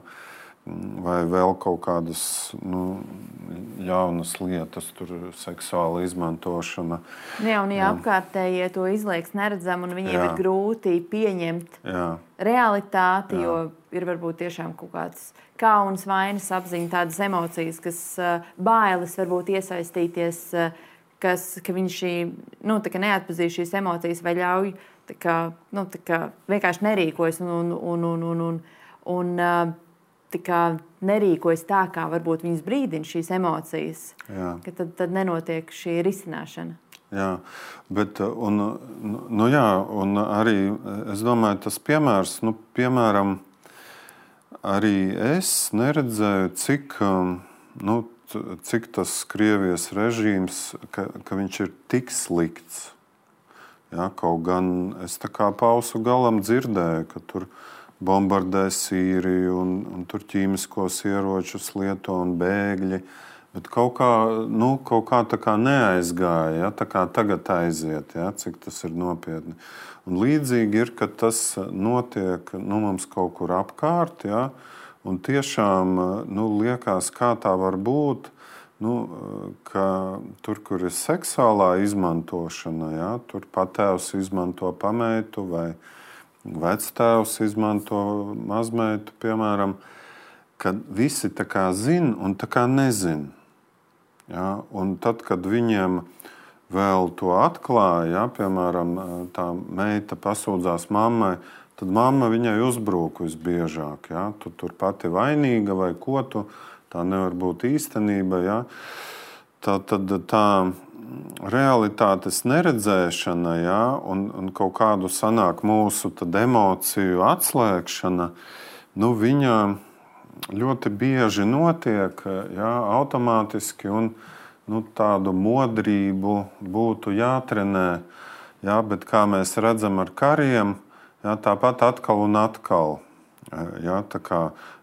Vai vēl kaut kādas nu, ļaunas lietas, tur seksuāla izmantošana. Jā, un ja apkārtējie to izlieks neredzam, un viņiem jā. Ir grūti pieņemt jā. Realitāti, jā. Jo ir varbūt tiešām kaut kāds kauns, vainas apziņa, tādas emocijas, kas bailes varbūt iesaistīties, kas, ka viņš nu, neatpazīst šīs emocijas vai ļauj tā kā, nu, tā kā vienkārši nerīkojas un, un, un, un, un, un, un tā kā nerīkojas tā, kā varbūt viņas brīdina šīs emocijas, jā. Ka tad, tad nenotiek šī risināšana. Jā, bet un, nu jā, un arī es domāju, tas piemērs, nu, piemēram, arī es neredzēju, cik, nu, cik tas Krievijas režīms, ka, ka viņš ir tik slikts. Jā, kaut gan es tā kā pausu galam dzirdēju, ka tur bombardē Sīriju un, un tur ķīmiskos ieročus lieto un bēgļi, bet kaut kā, nu, kaut kā tā kā neaizgāja, ja, tā kā tagad aiziet, ja, cik tas ir nopietni. Un līdzīgi ir, ka tas notiek nu, mums kaut kur apkārt, ja, un tiešām nu, liekas, kā tā var būt, nu, ka tur, kur ir seksuālā izmantošana, ja, tur patēvs izmanto pameitu vai vectēvs izmanto mazmeitu, piemēram, kad visi tā kā zin un tā kā nezin. Ja? Un tad, kad viņiem vēl to atklāja, ja? Piemēram, tā meita pasūdzās mammai, tad mamma viņai uzbrūk visbiežāk. Ja? Tu tur pati vainīga vai ko tu, tā nevar būt īstenība. Ja? Tā tad tā realitātes neredzēšana, ja, un, un kaut kādu sanāk mūsu tad emociju atslēgšana, nu, viņa ļoti bieži notiek, ja, automātiski, un nu, tādu modrību būtu jātrenē, ja, bet kā mēs redzam ar kariem, ja, tāpat atkal un atkal. Jā, tā kā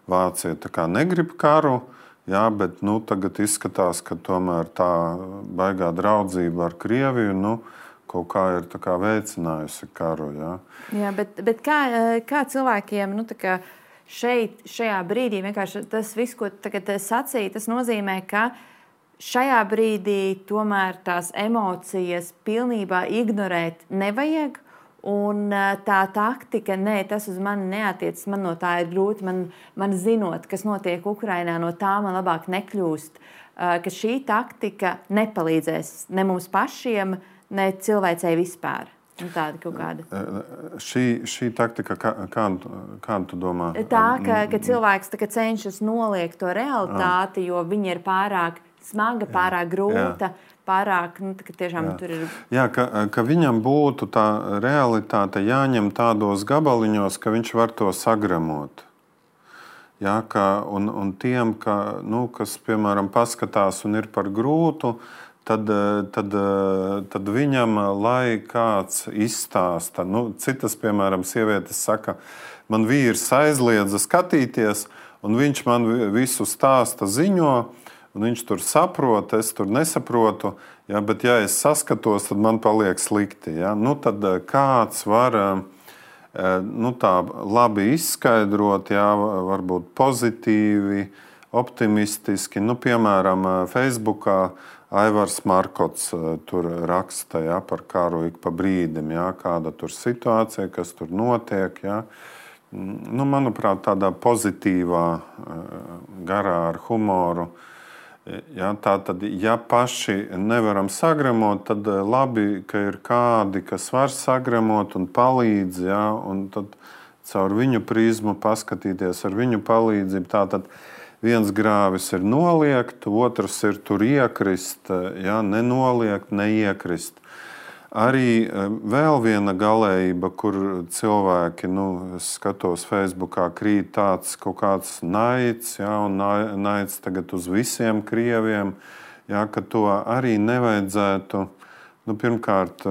Vācija tā kā negrib karu, jā, bet nu, tagad izskatās, ka tomēr tā baigā draudzība ar Krieviju nu, kaut kā ir tā kā veicinājusi karu. Jā, jā bet, bet kā, kā cilvēkiem nu, tā kā šeit, šajā brīdī, vienkārši tas viss, ko tagad sacīja, tas nozīmē, ka šajā brīdī tomēr tās emocijas pilnībā ignorēt nevajag. Un tā taktika, nē, tas uz mani neatiecas, man no tā ir grūti, man, man zinot, kas notiek Ukrainā, no tā man labāk nekļūst, ka šī taktika nepalīdzēs ne mums pašiem, ne cilvēcei vispār. Un tāda kaut kāda. Šī, šī taktika, kā, kādu, kādu tu domā? Tā, ka, ka cilvēks tā, ka cenšas noliegt to realitāti, jo viņa ir pārāk smaga, pārāk grūta. Jā. Pārāk, nu, tā, tiešām jā. Tur ir. Jā, ka, ka viņam būtu tā realitāte jāņem tādos gabaliņos, ka viņš var to sagremot. Jā, ka, un, un tiem, ka, nu, kas, piemēram, paskatās un ir par grūtu, tad, tad, tad viņam, lai kāds izstāsta, nu, citas, piemēram, sievietes saka, man vīrs aizliedza skatīties, un viņš man visu stāsta ziņo, un viņš tur saprot, es tur nesaprotu, ja, bet ja es saskatos, tad man paliek slikti. Ja. Nu, tad kāds var nu, tā labi izskaidrot, ja, varbūt pozitīvi, optimistiski. Nu, piemēram, Facebookā Aivars Markots tur raksta ja, par karu ik pa brīdim, ja, kāda tur situācija, kas tur notiek. Ja. Nu, manuprāt, tādā pozitīvā garā ar humoru. Ja, tā tad, ja paši nevaram sagremot, tad labi, ka ir kādi, kas var sagremot un palīdz, ja, un tad caur viņu prizmu paskatīties ar viņu palīdzību. Tātad viens grāvis ir noliegt, otrs ir tur iekrist, ja, nenoliegt, neiekrist. Arī vēl viena galējība, kur cilvēki, nu, es skatos Facebookā, krīt tāds kaut kāds naids, ja, un naids tagad uz visiem krieviem, ja, ka to arī nevajadzētu. Nu, pirmkārt,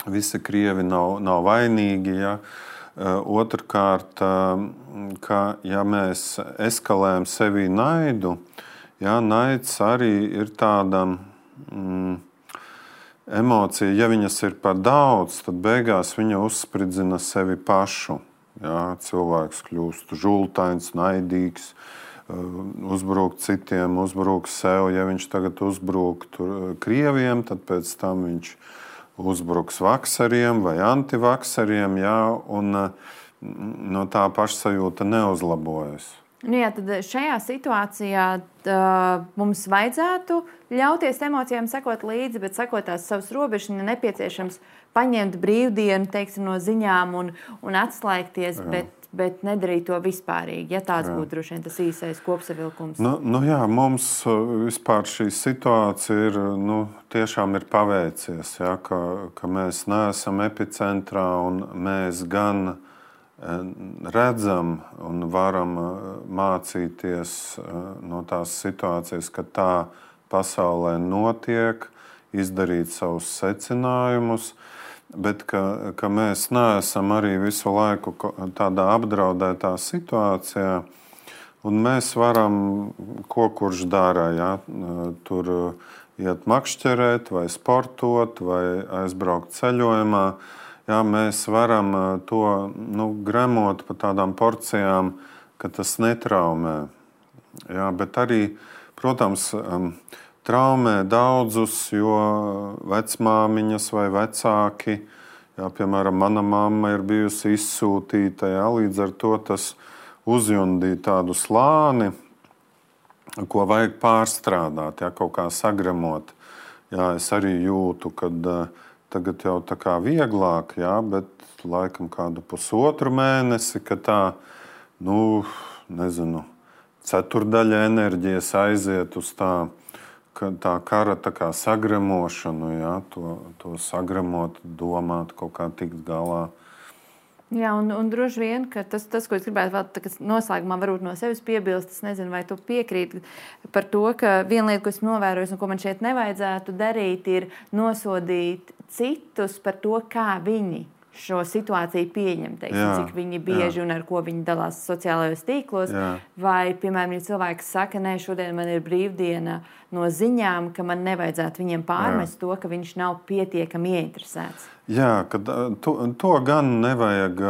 visi krievi nav, nav vainīgi, ja. Otrkārt, ka ja mēs eskalējam sevī naidu, ja, naids arī ir tāda mm, emocija, ja viņas ir par daudz, tad beigās viņa uzspridzina sevi pašu. Jā, cilvēks kļūst žultains, naidīgs, uzbrūk citiem, uzbrūk sev. Ja viņš tagad uzbrūk krieviem, tad pēc tam viņš uzbruks vakseriem vai antivakseriem, jā, un no tā pašsajūta neuzlabojas. Nu jā, tad šajā situācijā tā, mums vajadzētu ļauties emocijām sekot līdzi, bet sekot tās savas robežas, ja nepieciešams paņemt brīvdienu, teiksim, no ziņām un, un atslēgties, bet, bet nedarīt to vispārīgi. Ja tāds jā. Būtu droši vien tas īsais kopsavilkums. Nu, nu jā, mums vispār šī situācija ir, nu, tiešām ir paveicies, ja, ka, ka mēs neesam epicentrā un mēs gan redzam un varam mācīties no tās situācijas, ka tā pasaulē notiek, izdarīt savus secinājumus, bet ka, ka mēs neesam arī visu laiku tādā apdraudētā situācijā, un mēs varam, ko kurš dara, ja, tur iet makšķerēt vai sportot vai aizbraukt ceļojumā. Jā, mēs varam to nu, gremot pa tādām porcijām, ka tas netraumē. Jā, bet arī, protams, traumē daudzus, jo vecmāmiņas vai vecāki, jā, piemēram, mana mamma ir bijusi izsūtīta, jā, līdz ar to tas uzjundīja tādu slāni, ko vajag pārstrādāt, jā, kaut kā sagremot. Jā, es arī jūtu, kad tagad jau tā kā vieglāk, jā, bet laikam kādu pusotru mēnesi, ka tā, nu, nezinu, ceturdaļa enerģijas aiziet uz tā, tā kara tā kā sagremošanu, jā, to, to sagremot, domāt, kaut kā tikt galā. Jā, un, un droši vien, ka tas, tas, ko es gribētu vēl noslēgumā varbūt no sevis piebilst, es nezinu, vai tu piekrīti par to, ka viena lieta, ko es novēroju un ko man šeit nevajadzētu darīt, ir nosodīt citus par to, kā viņi šo situāciju pieņem, teiksim, Jā, cik viņi bieži jā. un ar ko viņi dalās sociālajos tīklos. Jā. Vai, piemēram, ja cilvēks saka, nē, šodien man ir brīvdiena no ziņām, ka man nevajadzētu viņiem pārmest jā. To, ka viņš nav pietiekami ieinteresēts. Jā, kad, to, to gan nevajag.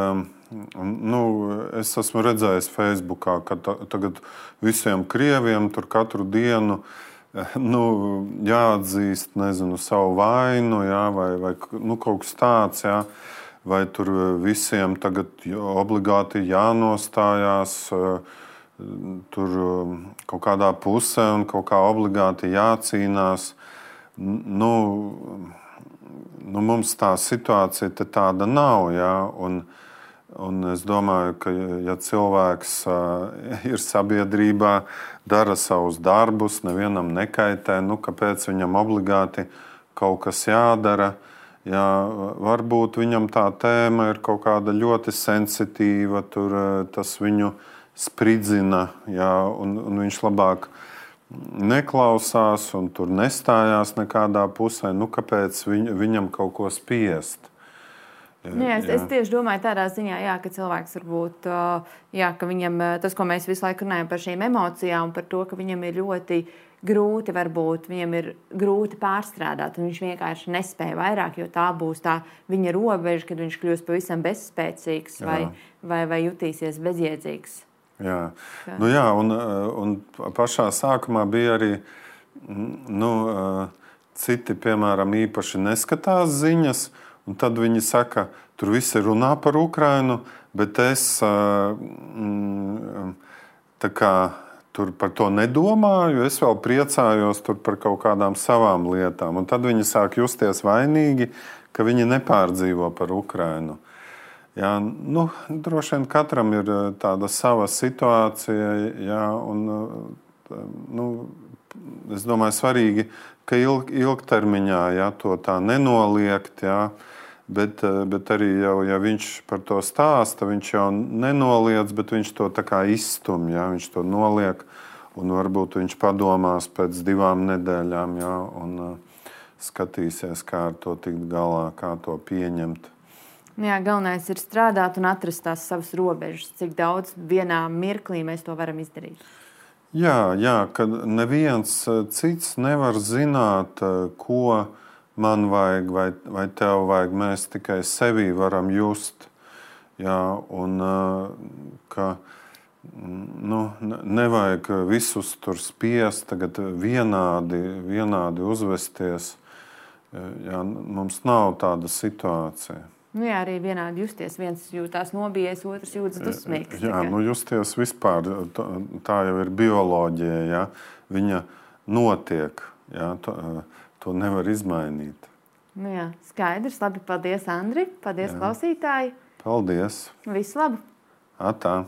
Nu, es esmu redzējis Facebookā, ka ta, tagad visiem krieviem tur katru dienu nu, jāatzīst, nezinu, savu vainu, jā, vai, vai nu, kaut kas tāds, jā, vai tur visiem tagad obligāti jānostājās tur kaut kādā pusē un kaut kā obligāti jācīnās. Nu, nu mums tā situācija te tāda nav, jā, un Un es domāju, ka ja cilvēks uh, ir sabiedrībā, dara savus darbus, nevienam nekaitē, nu, kāpēc viņam obligāti kaut kas jādara? Jā, varbūt viņam tā tēma ir kaut kāda ļoti sensitīva, tur tas viņu spridzina, jā, un, un viņš labāk neklausās un tur nestājās nekādā pusē. Nu, kāpēc viņ, viņam kaut ko spiest? Nu, jā, es, es tieši domāju tādā ziņā, jā, ka cilvēks varbūt, jā, ka viņam tas, ko mēs visu laiku runājam par šīm emocijām, par to, ka viņam ir ļoti grūti, varbūt viņam ir grūti pārstrādāt, un viņš vienkārši nespēja vairāk, jo tā būs tā viņa robeža, kad viņš kļūs pavisam bezspēcīgs vai, vai, vai jutīsies bezjēdzīgs. Jā, ka... nu, jā un, un pašā sākumā bija arī nu, citi, piemēram, īpaši neskatās ziņas. Un tad viņi saka, tur visi runā par Ukrainu, bet es tā kā, tur par to nedomāju. Es vēl priecājos tur par kaut kādām savām lietām. Un tad viņi sāk justies vainīgi, ka viņi nepārdzīvo par Ukrainu. Jā, nu, droši vien katram ir tāda sava situācija. Jā, un, nu, es domāju, svarīgi, ka ilg, ilgtermiņā jā, to tā nenoliegt. Jā. Bet, bet arī, jau, ja viņš par to stāsta, viņš jau nenoliedz, bet viņš to tā kā izstum, ja? Viņš to noliek, un varbūt viņš padomās pēc divām nedēļām, ja? Un uh, skatīsies, kā ar to tikt galā, kā to pieņemt. Jā, galvenais ir strādāt un atrast tās savas robežas, cik daudz vienā mirklī mēs to varam izdarīt. Jā, jā, kad neviens cits nevar zināt, ko man vajag, vai, vai tev vajag, mēs tikai sevī varam just. Jā, un ka nu, nevajag visus tur spiest, tagad vienādi, vienādi uzvesties. Jā, mums nav tāda situācija. Nu jā, arī vienādi justies. Viens jūtās nobijies, otrs jūtas dusmīgs. Jā, nu justies vispār, tā jau ir bioloģija, jā. Viņa notiek, jā, to, to nevar izmainīt. Nu jā, skaidrs. Labi, paldies, Andri. Paldies, jā. Klausītāji. Paldies. Visu labu. Atā.